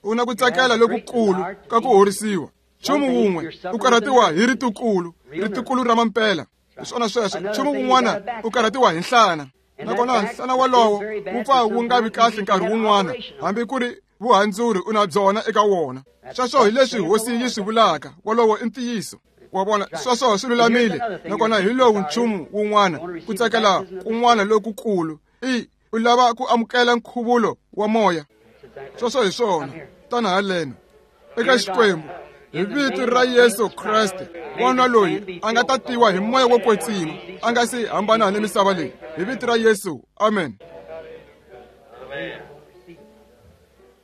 U na ku tsakela lokukulu ka ku horisiwa. Nchumu wun'we u karhatiwa hi ritukulu, ritukulu ra mampela. Hi swona sweswo. Nchumu wun'wana u karhatiwa hi nhlana, nakona nhlana walowo wu pfa wu nga vi kahle nkarhi wun'wana, hambi ku ri vuhandzuri u na byona eka wona. Sweswo hi leswi hosi yi swi vulaka. Wolowo i ntiyiso. Wa vona? Sweswo swi lulamile. Nakona hi lowu nchumu wun'wana, ku tsakela kun'wana lokukulu, i u lava ku amukela nkhuvulo wa moya. Sweswo hi swona. Tana haleno eka Xikwembu hi vito ra Yesu Kreste, wanuna loyi a nga tatiwa hi moya wo kwetsima, a nga si hambana ni misava leyi. Hi vito ra Yesu, amen.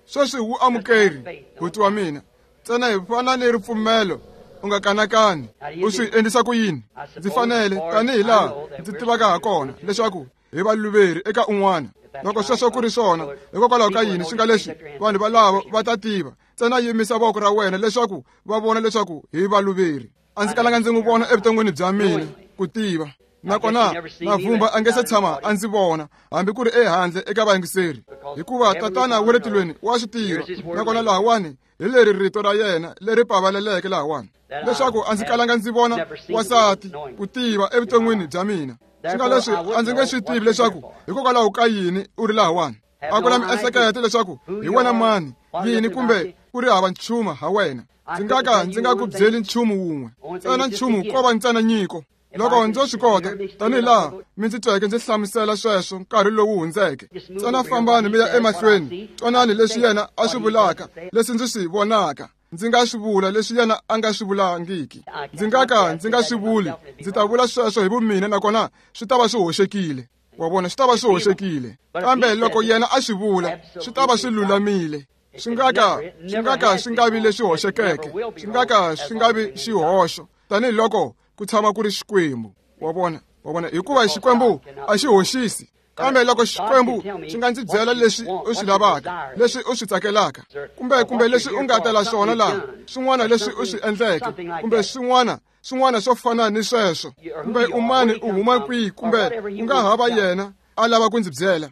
Sweswi wu amukeri, buti wa mina. Ntsena hi fana ni ripfumelo, u nga kanakani. U swi endlisa ku yini? Ndzi fanele tanihi laha ndzi tivaka ha kona leswaku hi valuveri eka un'wana. Loko sweswo ku ri swona, hikokwalaho ka yini swi nga leswi vanhu valavo va ta tiva? Ntsena yimisa voko ra wena leswaku va vona leswaku hi valuveri. A ndzi kalanga ndzi n'wi vona evuton'wini bya mina ku tiva. Nakona na vumba a nge se tshama a ndzi vona, hambi ku ri ehandle eka vayingiseri, hikuva Tatana wa le tilweni wa swi tiva. Nakona lahawani Hi leri rito ra yena leri pavaleleke lahawani leswaku a ndzi kalanga ndzi vona wansati ku tiva evuton'wini bya mina. Swi nga leswi a ndzi nge swi tivi leswaku hikokwalaho ka yini u ri lahawani. A ku na miehleketo leswaku hi wena mani yini kumbe ku ri hava nchumu ha wena. Ndzi nga ka ndzi nga ku byeli nchumu wun'we ntsena nchumu ko va ntsena nyiko. Loko ndzo swi kota tanihi laha mi ndzi tweke ndzi hlamusela sweswo nkarhi lowu hundzeke, ntsena fambani mi ya emahlweni, twanani leswi yena a swi vulaka, leswi ndzi swi vonaka. Ndzi nga swi vula leswi yena a nga swi vulangiki. Ndzi nga ka ndzi nga swi vuli, ndzi ta vula sweswo hi vumina nakona swi ta va swi hoxekile. Wa vona, swi ta va swi hoxekile. Kambe loko yena a swi vula, swi ta va swi lulamile. Swi nga ka swi nga ka swi nga vi leswi hoxekeke, swi nga ka swi nga vi xihoxo tanihiloko ku tshama ku ri Xikwembu. Wa vona, wa vona, hikuva Xikwembu a xi hoxisi. Kambe loko Xikwembu xi nga ndzi byela leswi u swi lavaka, leswi u swi tsakelaka, kumbe kumbe leswi u nga tela swona laha, swin'wana leswi u swi endleke, kumbe swin'wana swin'wana swo fana ni sweswo, kumbe u mani u huma kwihi, kumbe u nga hava yena a lava ku ndzi byela,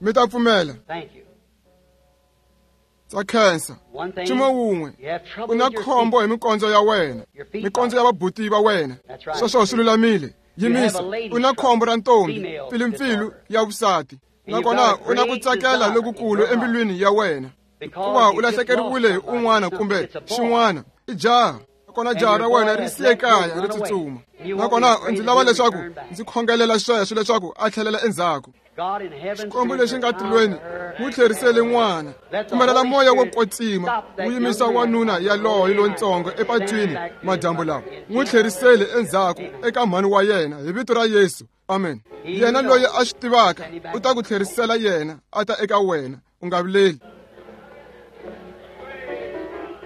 mi ta pfumela. Ndza khensa. Nchumu wun'we, u na khombo hi mikondzo ya wena, mikondzo ya vabuti va wena. Sweswo swi lulamile. Yimisa, u na khombo ra ntombi, mpfilumpfilu ya vusati, nakona u na ku tsakela lokukulu embilwini ya wena, hikuva u lahlekeriwile hi un'wana kumbe xin'wana. I jaha, nakona jaha ra wena ri siye kaya ri tsutsuma, nakona ndzi lava leswaku ndzi khongelela sweswo leswaku a tlhelela endzhaku. Xikwembu lexi nga tilweni n'wi tlherisele n'wana. Pfumelela moya wo kwetsima wu yimisa wanuna yaloye lontsongo epatwini madyambu lawa, n'wi tlherisele endzhaku eka mhani wa yena hi vito ra Yesu. Amen. Yena loyi a swi tivaka u ta ku tlherisela yena a ta eka wena. U nga vileli.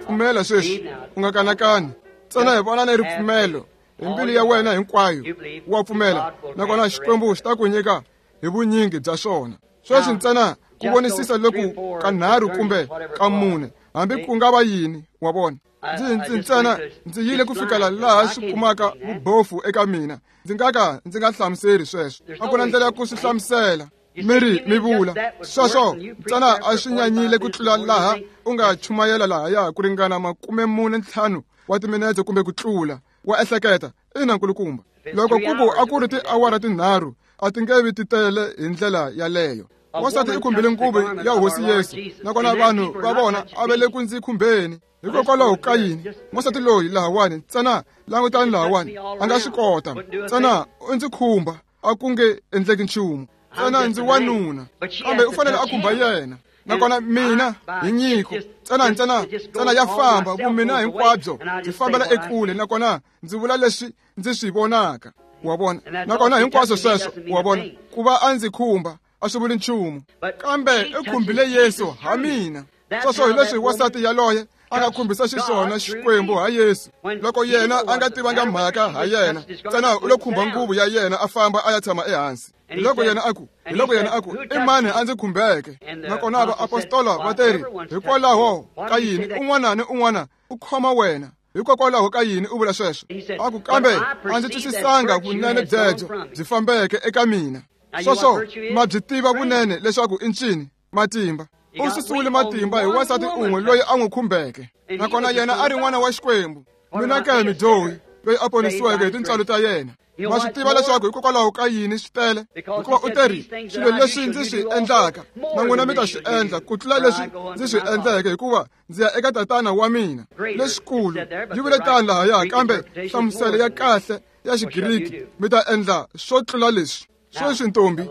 Pfumela sweswi, u nga kanakani. Ntsena hi vona ni ripfumelo hi mbilu ya wena hinkwayo. Wa pfumela, nakona Xikwembu xi ta ku nyika hi vunyingi bya swona. Sweswi ntsena ku vonisisa loku kanharhu kumbe ka mune, hambi ku nga va yini, wa vona. Ndzi ndzi ntsena ndzi yile ku fikela laha swi kumaka vubofu eka mina. Ndzi nga ka ndzi nga hlamuseri sweswo. A ku na ndlela ya ku swi hlamusela. Mi ri mi vula sweswo ntsena a swi nyanyile ku tlula laha u nga chumayela lahaya ku ringana makume mune ntlhanu wa timinetse kumbe ku tlula. Wa ehleketa, ina nkulukumba. Loko ku ku a ku ri tiawara tinharhu, a ti nge vi ti tele hi ndlela yaleyo. Wansati i khumbile nguvu ya Hosi Yesu, nakona vanhu va vona a va le ku ndzi khumbeni. Hikokwalaho ka yini? Wansati loyi lahawani, ntsena langutani lahawani, a nga swi kota. Ntsena u ndzi khumba, a ku nge endleki nchumu. Ntsena ndzi wanuna, kambe u fanele a khumba yena. Nakona mina hi nyiko, ntsena ntsena ntsena ya famba vumina hinkwabyo byi fambela ekule, nakona ndzi vula leswi ndzi swi vonaka. Wa vona, nakona hinkwaswo sweswo, wa vona, ku va a ndzi khumba a swi vuli nchumu, kambe u khumbile Yesu ha mina. Sweswo hi leswi wansati yaloye a nga khumbisa xiswona Xikwembu ha Yesu. Loko yena a nga tivanga mhaka ha yena, ntsena u lo khumba nguvu ya yena a famba a ya tshama ehansi. Hiloko yena a ku, hiloko yena a ku, i mani a ndzi khumbeke? Nakona vaapostola va teri, hikwalaho ka yini un'wana ni un'wana u khoma wena? Hikokwalaho ka yini u vula sweswo? A ku, kambe a ndzi twisisanga vunene byebyo byi fambeke eka mina. Sweswo ma byi tiva vunene leswaku i ncini? Matimba. U susiwile matimba hi wansati un'we loyi a n'wi khumbeke, nakona yena a ri n'wana wa Xikwembu. Mina ke mudyohi loyi a ponisiweke hi tintswalo ta yena. Ma swi tiva leswaku hikokwalaho ka yini swi tele? Hikuva u teri, swilo leswi ndzi swi endlaka na n'wina mi ta swi endla ku tlula leswi ndzi swi endleke, hikuva ndzi ya eka Tatana wa mina. Leswikulu yi vule tani lahaya, kambe nhlamuselo ya kahle ya Xigiriki, mi ta endla swo tlula leswi. Sweswi ntombi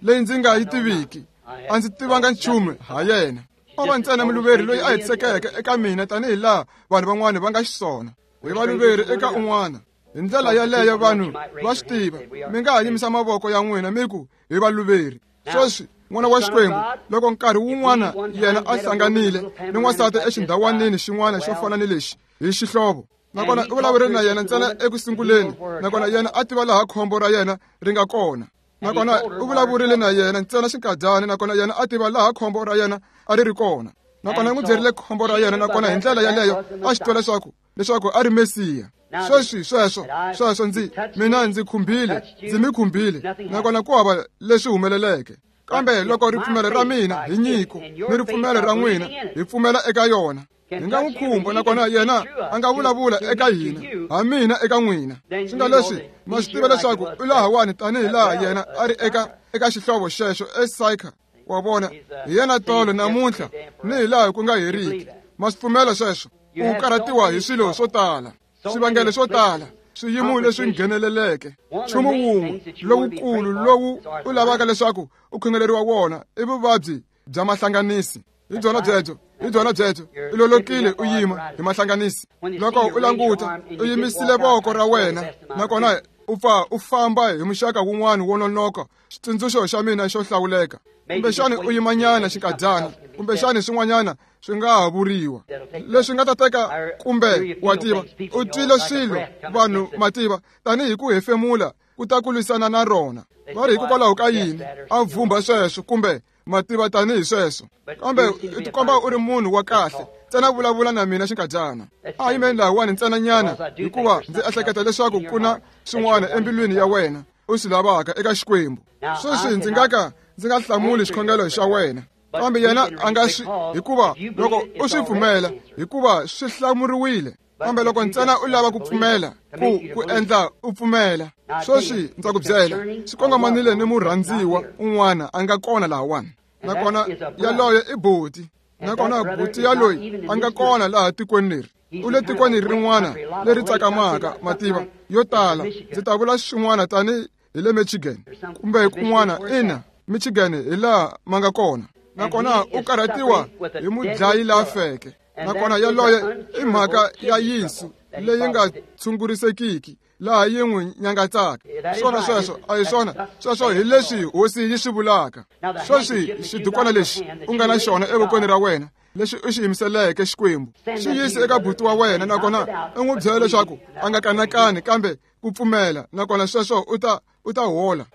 leyi ndzi nga yi tiviki, a ndzi tivanga nchumu ha yena. O va ntsena muluveri loyi a hetisekeke eka mina tanihi laha vanhu van'wana va nga xiswona. Hi valuveri eka un'wana. Hi ndlela yaleyo vanhu va swi tiva. Mi nga ha yimisa mavoko ya n'wina mi ku hi valuveri. Sweswi n'wana wa Xikwembu, loko nkarhi wun'wana yena a hlanganile ni n'wansati exindhawanini xin'wana xo fana ni lexi hi xihlovo, nakona u vulavurile na yena ntsena eku sunguleni, nakona yena a tiva laha khombo ra yena ri nga kona. Nakona u vulavurile na yena ntsena xinkadyana, nakona yena a tiva laha khombo ra yena a ri ri kona. Nakona n'wi byerile khombo ra yena, nakona hi ndlela yaleyo a xi twa leswaku leswaku a ri Mesiya. Sweswi sweswo sweswo ndzi mina ndzi khumbile, ndzi mi khumbile, nakona ku hava leswi humeleleke. Kambe loko ripfumelo ra mina hi nyiko ni ripfumelo ra n'wina hi pfumela eka yona, hi nga n'wi khumba nakona yena a nga vulavula eka hina ha mina eka n'wina. Swi nga leswi ma swi tiva leswaku u lahawani tanihi laha yena a ri eka eka xihlovo xexo eSychar. Wa vona, hi yena tolo namuntlha ni hi laha ku nga heriki. Ma swi pfumela sweswo? U karhatiwa hi swilo swo tala, swivangelo swo tala, swiyimo leswi ngheneleleke. Nchumu wun'we lowukulu lowu u lavaka leswaku u khongeleriwa wona i vuvabyi bya mahlanganisi. Hi byona byebyo, hi byona byebyo. U lolokile u yima hi mahlanganisi. Loko u languta, u yimisile voko ra wena nakona u pfa u famba hi muxaka wun'wana wo nonoka, xitsundzuxo xa mina xo hlawuleka. Kumbexani u yimanyana xinkadyana, kumbexani swin'wanyana swi nga ha vuriwa leswi nga ta teka, kumbe wa tiva u twile swilo vanhu mativa tanihi ku hefemula ku ta ku lwisana na rona. Va ri hikokwalaho ka yini a vhumba sweswo, kumbe mativa tanihi sweswo. Kambe u tikomba u ri munhu wa kahle, ntsena vulavula na mina xinkadyana. A yimeni lahawani ntsenanyana, hikuva ndzi ehleketa leswaku ku na swin'wana embilwini ya wena u swi lavaka eka Xikwembu. Sweswi ndzi nga ka ndzi nga hlamuli xikhongelo xa wena, kambe yena a nga swi, hikuva loko u swi pfumela, hikuva swi hlamuriwile. Kambe loko ntsena u lava ku pfumela, ku ku endla u pfumela. Sweswi ndza ku byela, swi kongomanile ni murhandziwa un'wana a nga kona lahawani, nakona yaloye i buti, nakona buti yaloyi a nga kona laha tikweni leri. U le tikweni rin'wana leri tsakamaka mativa yo tala. Ndzi ta vula swin'wana tani hi le Michigan kumbe kun'wana. Ina, Michigan hi laha ma nga kona. Nakona u karhatiwa hi mudlayi la feke, nakona yaloye i mhaka ya yinsu leyi nga tshungurisekiki laha yi n'wi nyangatsaka. Swona sweswo a hi swona sweswo, hi leswi hosi yi swi vulaka. Sweswi xidukwana lexi u nga na xona evokweni ra wena, lexi u xi yimiseleke Xikwembu, xi yise eka buti wa wena, nakona u n'wi byela leswaku a nga kanakani kambe ku pfumela, nakona sweswo u ta u ta hola.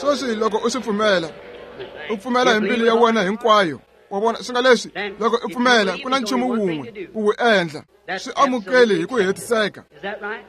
Sweswi loko u swi pfumela, u pfumela hi mbilu ya wena hinkwayo. Wa vona, swi nga leswi loko u pfumela ku na nchumu wun'we ku wu endla, swi amukeli hi ku hetiseka.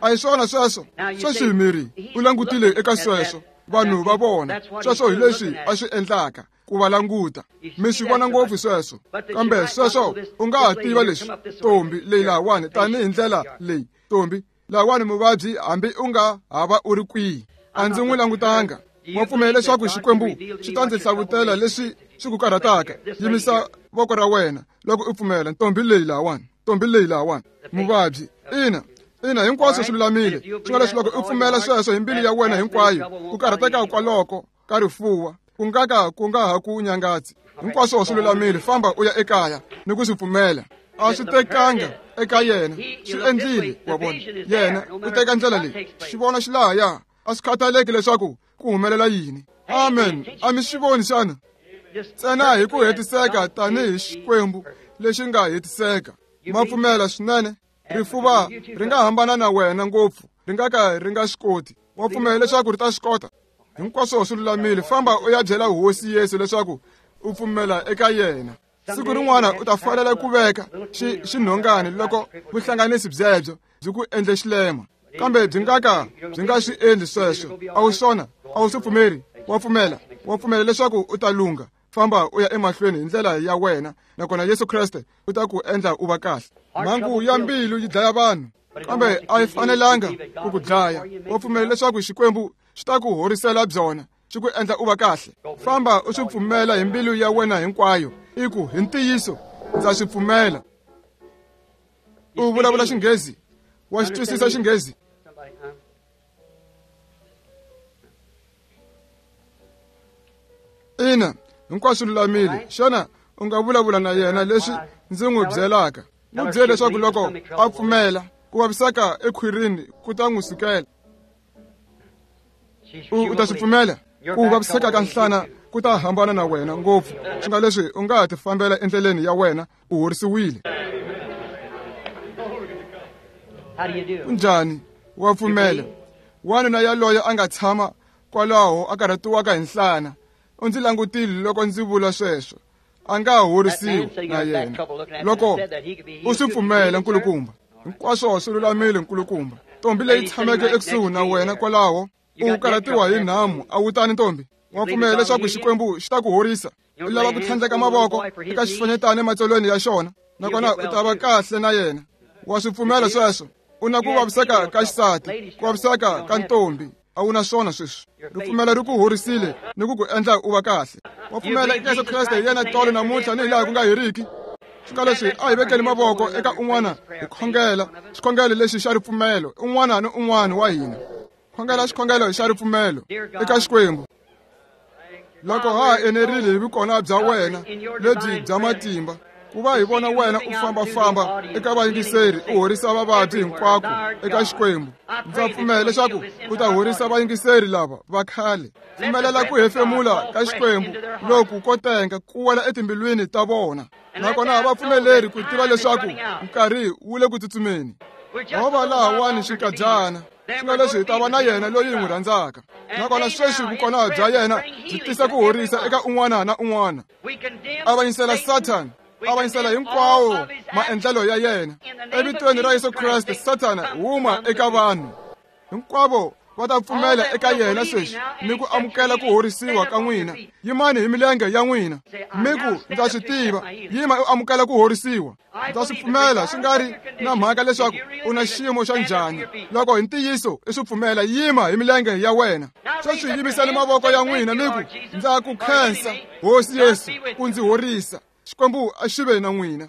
A hi swona sweswo? Sweswi miri u langutile eka sweswo, vanhu va vona sweswo hi leswi a swi endlaka ku va languta. Mi swi vona ngopfu sweswo. Kambe sweswo u nga ha tiva leswi, ntombi leyi lahawani, tanihi ndlela leyi, ntombi lahawani muvabyi, hambi u nga hava u ri kwihi, a ndzi n'wi langutanga. Wa pfumela leswaku Xikwembu xi ta ndzi hlavutela leswi swi ku karhataka? Yimisa voko ra wena loko u pfumela. Ntombi leyi lahawani, ntombi leyi lahawani, muvabyi. Ina, ina, hinkwaswo swi lulamile. Swi nga leswi loko u pfumela sweswo hi mbilu ya wena hinkwayo, ku karhateka kwaloko ka rifuwa ku nga ka ku nga ha ku nyangatsi. Hinkwaswo swi lulamile. Famba u ya ekaya ni ku swi pfumela. A swi tekanga eka yena, swi endlile. Wa vona, yena u teka ndlela leyi, xivono xi lahaya, a swi khathaleki leswaku ku humelela yini. Amen. A mi swi voni xana? Ntsena hi ku hetiseka tanihi Xikwembu lexi nga hetiseka. Ma pfumela swinene? Rifuva ri nga hambana na wena ngopfu, ri nga ka ri nga swi koti. Wa pfumela leswaku ri ta swi kota? Hinkwaswo swi lulamile. Famba u ya byela Hosi Yesu leswaku u pfumela eka yena. Siku rin'wana u ta fanela ku veka xi xinhongani loko vuhlanganisi byebyo byi ku endle xilema, kambe byi nga ka byi nga swi endli sweswo. A wu swona? A wu swi pfumeri? Wa pfumela? Wa pfumela leswaku u ta lungha? Famba u ya emahlweni hi ndlela ya wena, nakona Yesu Kreste u ta ku endla u va kahle. Mhangu ya mbilu yi dlaya vanhu, kambe a yi fanelanga ku ku dlaya. Wa pfumela leswaku Xikwembu xi ta ku horisela byona, xi ku endla u va kahle? Famba u swi pfumela hi mbilu ya wena hinkwayo, i ku hi ntiyiso ndza swi pfumela. U vulavula Xinghezi? Wa xi twisisa Xinghezi? Ina, hinkwaswo lulamile. Xana u nga vulavula na yena leswi ndzi n'wi byelaka? N'wi byele leswaku loko a pfumela, ku vaviseka ekhwirini ku ta n'wi sukela. U ta swi pfumela? Ku vaviseka ka nhlana ku ta hambana na wena ngopfu. Swi nga leswi u nga ha tifambela endleleni ya wena, u horisiwile. Kunjhani? Wa pfumela? Wanuna yaloye a nga tshama kwalaho a karhatiwaka hi nhlana, u ndzi langutile loko ndzi vula sweswo. A nga horisiwi na yena. Loko u swi pfumela, nkulukumba, hinkwaswo swi lulamile, nkulukumba. Ntombi leyi tshameke ekusuhi na wena kwalaho, u karhatiwa hi nhamu, a wu tani ntombi? Wa pfumela leswaku Xikwembu xi ta ku horisa? U lava ku tlhandleka mavoko eka xifanyetana ematsolweni ya xona, nakona u ta va kahle na yena. Wa swi pfumela sweswo? U na ku vaviseka ka xisati, ku vaviseka ka ntombi, a wu na swona sweswi. Ripfumelo ri ku horisile ni ku ku endla u va kahle. Wa pfumela eka Yesu Kreste hi yena tolo namuntlha ni hilaha ku nga heriki? Swi leswi a hi vekeli mavoko eka un'wana hi khongela xikhongelo lexi xa ripfumelo, un'wana ni un'wana wa hina. Khongela xikhongelo xa ripfumelo eka Xikwembu. Loko ha enerile hi vukona bya wena lebyi bya matimba, ku va hi vona wena u fambafamba eka vayingiseri u horisa vavabyi hinkwako eka Xikwembu. Ndza pfumela leswaku u ta horisa vayingiseri lava va khale. Pfumelela ku hefemula ka Xikwembu loku ko tenga ku wela etimbilwini ta vona, nakona va pfumeleri ku tiva leswaku nkarhi wu le ku tsutsumeni. Ho va lahawani xinkadyana, swi nga leswi hi ta va na yena loyi hi n'wi rhandzaka, nakona sweswi vukona bya yena byi tisa ku horisa eka un'wana na un'wana. Avanyisela Sathana, avanyisela hinkwawo maendlelo ya yena. Evitweni ra Yesu Kreste, Sathana huma eka vanhu hinkwavo va ta pfumela eka yena sweswi ni ku amukela ku horisiwa ka n'wina. Yimani hi milenge ya n'wina mi ku, ndza swi tiva. Yima u amukela ku horisiwa. Ndza swi pfumela, swi nga ri na mhaka leswaku u na xiyimo xa njhani. Loko hi ntiyiso i swi pfumela, yima hi milenge ya wena. Sweswi yimisani mavoko ya n'wina mi ku, ndza ku khensa Hosi Yesu ku ndzi horisa. Xikwembu a xi ve na n'wina.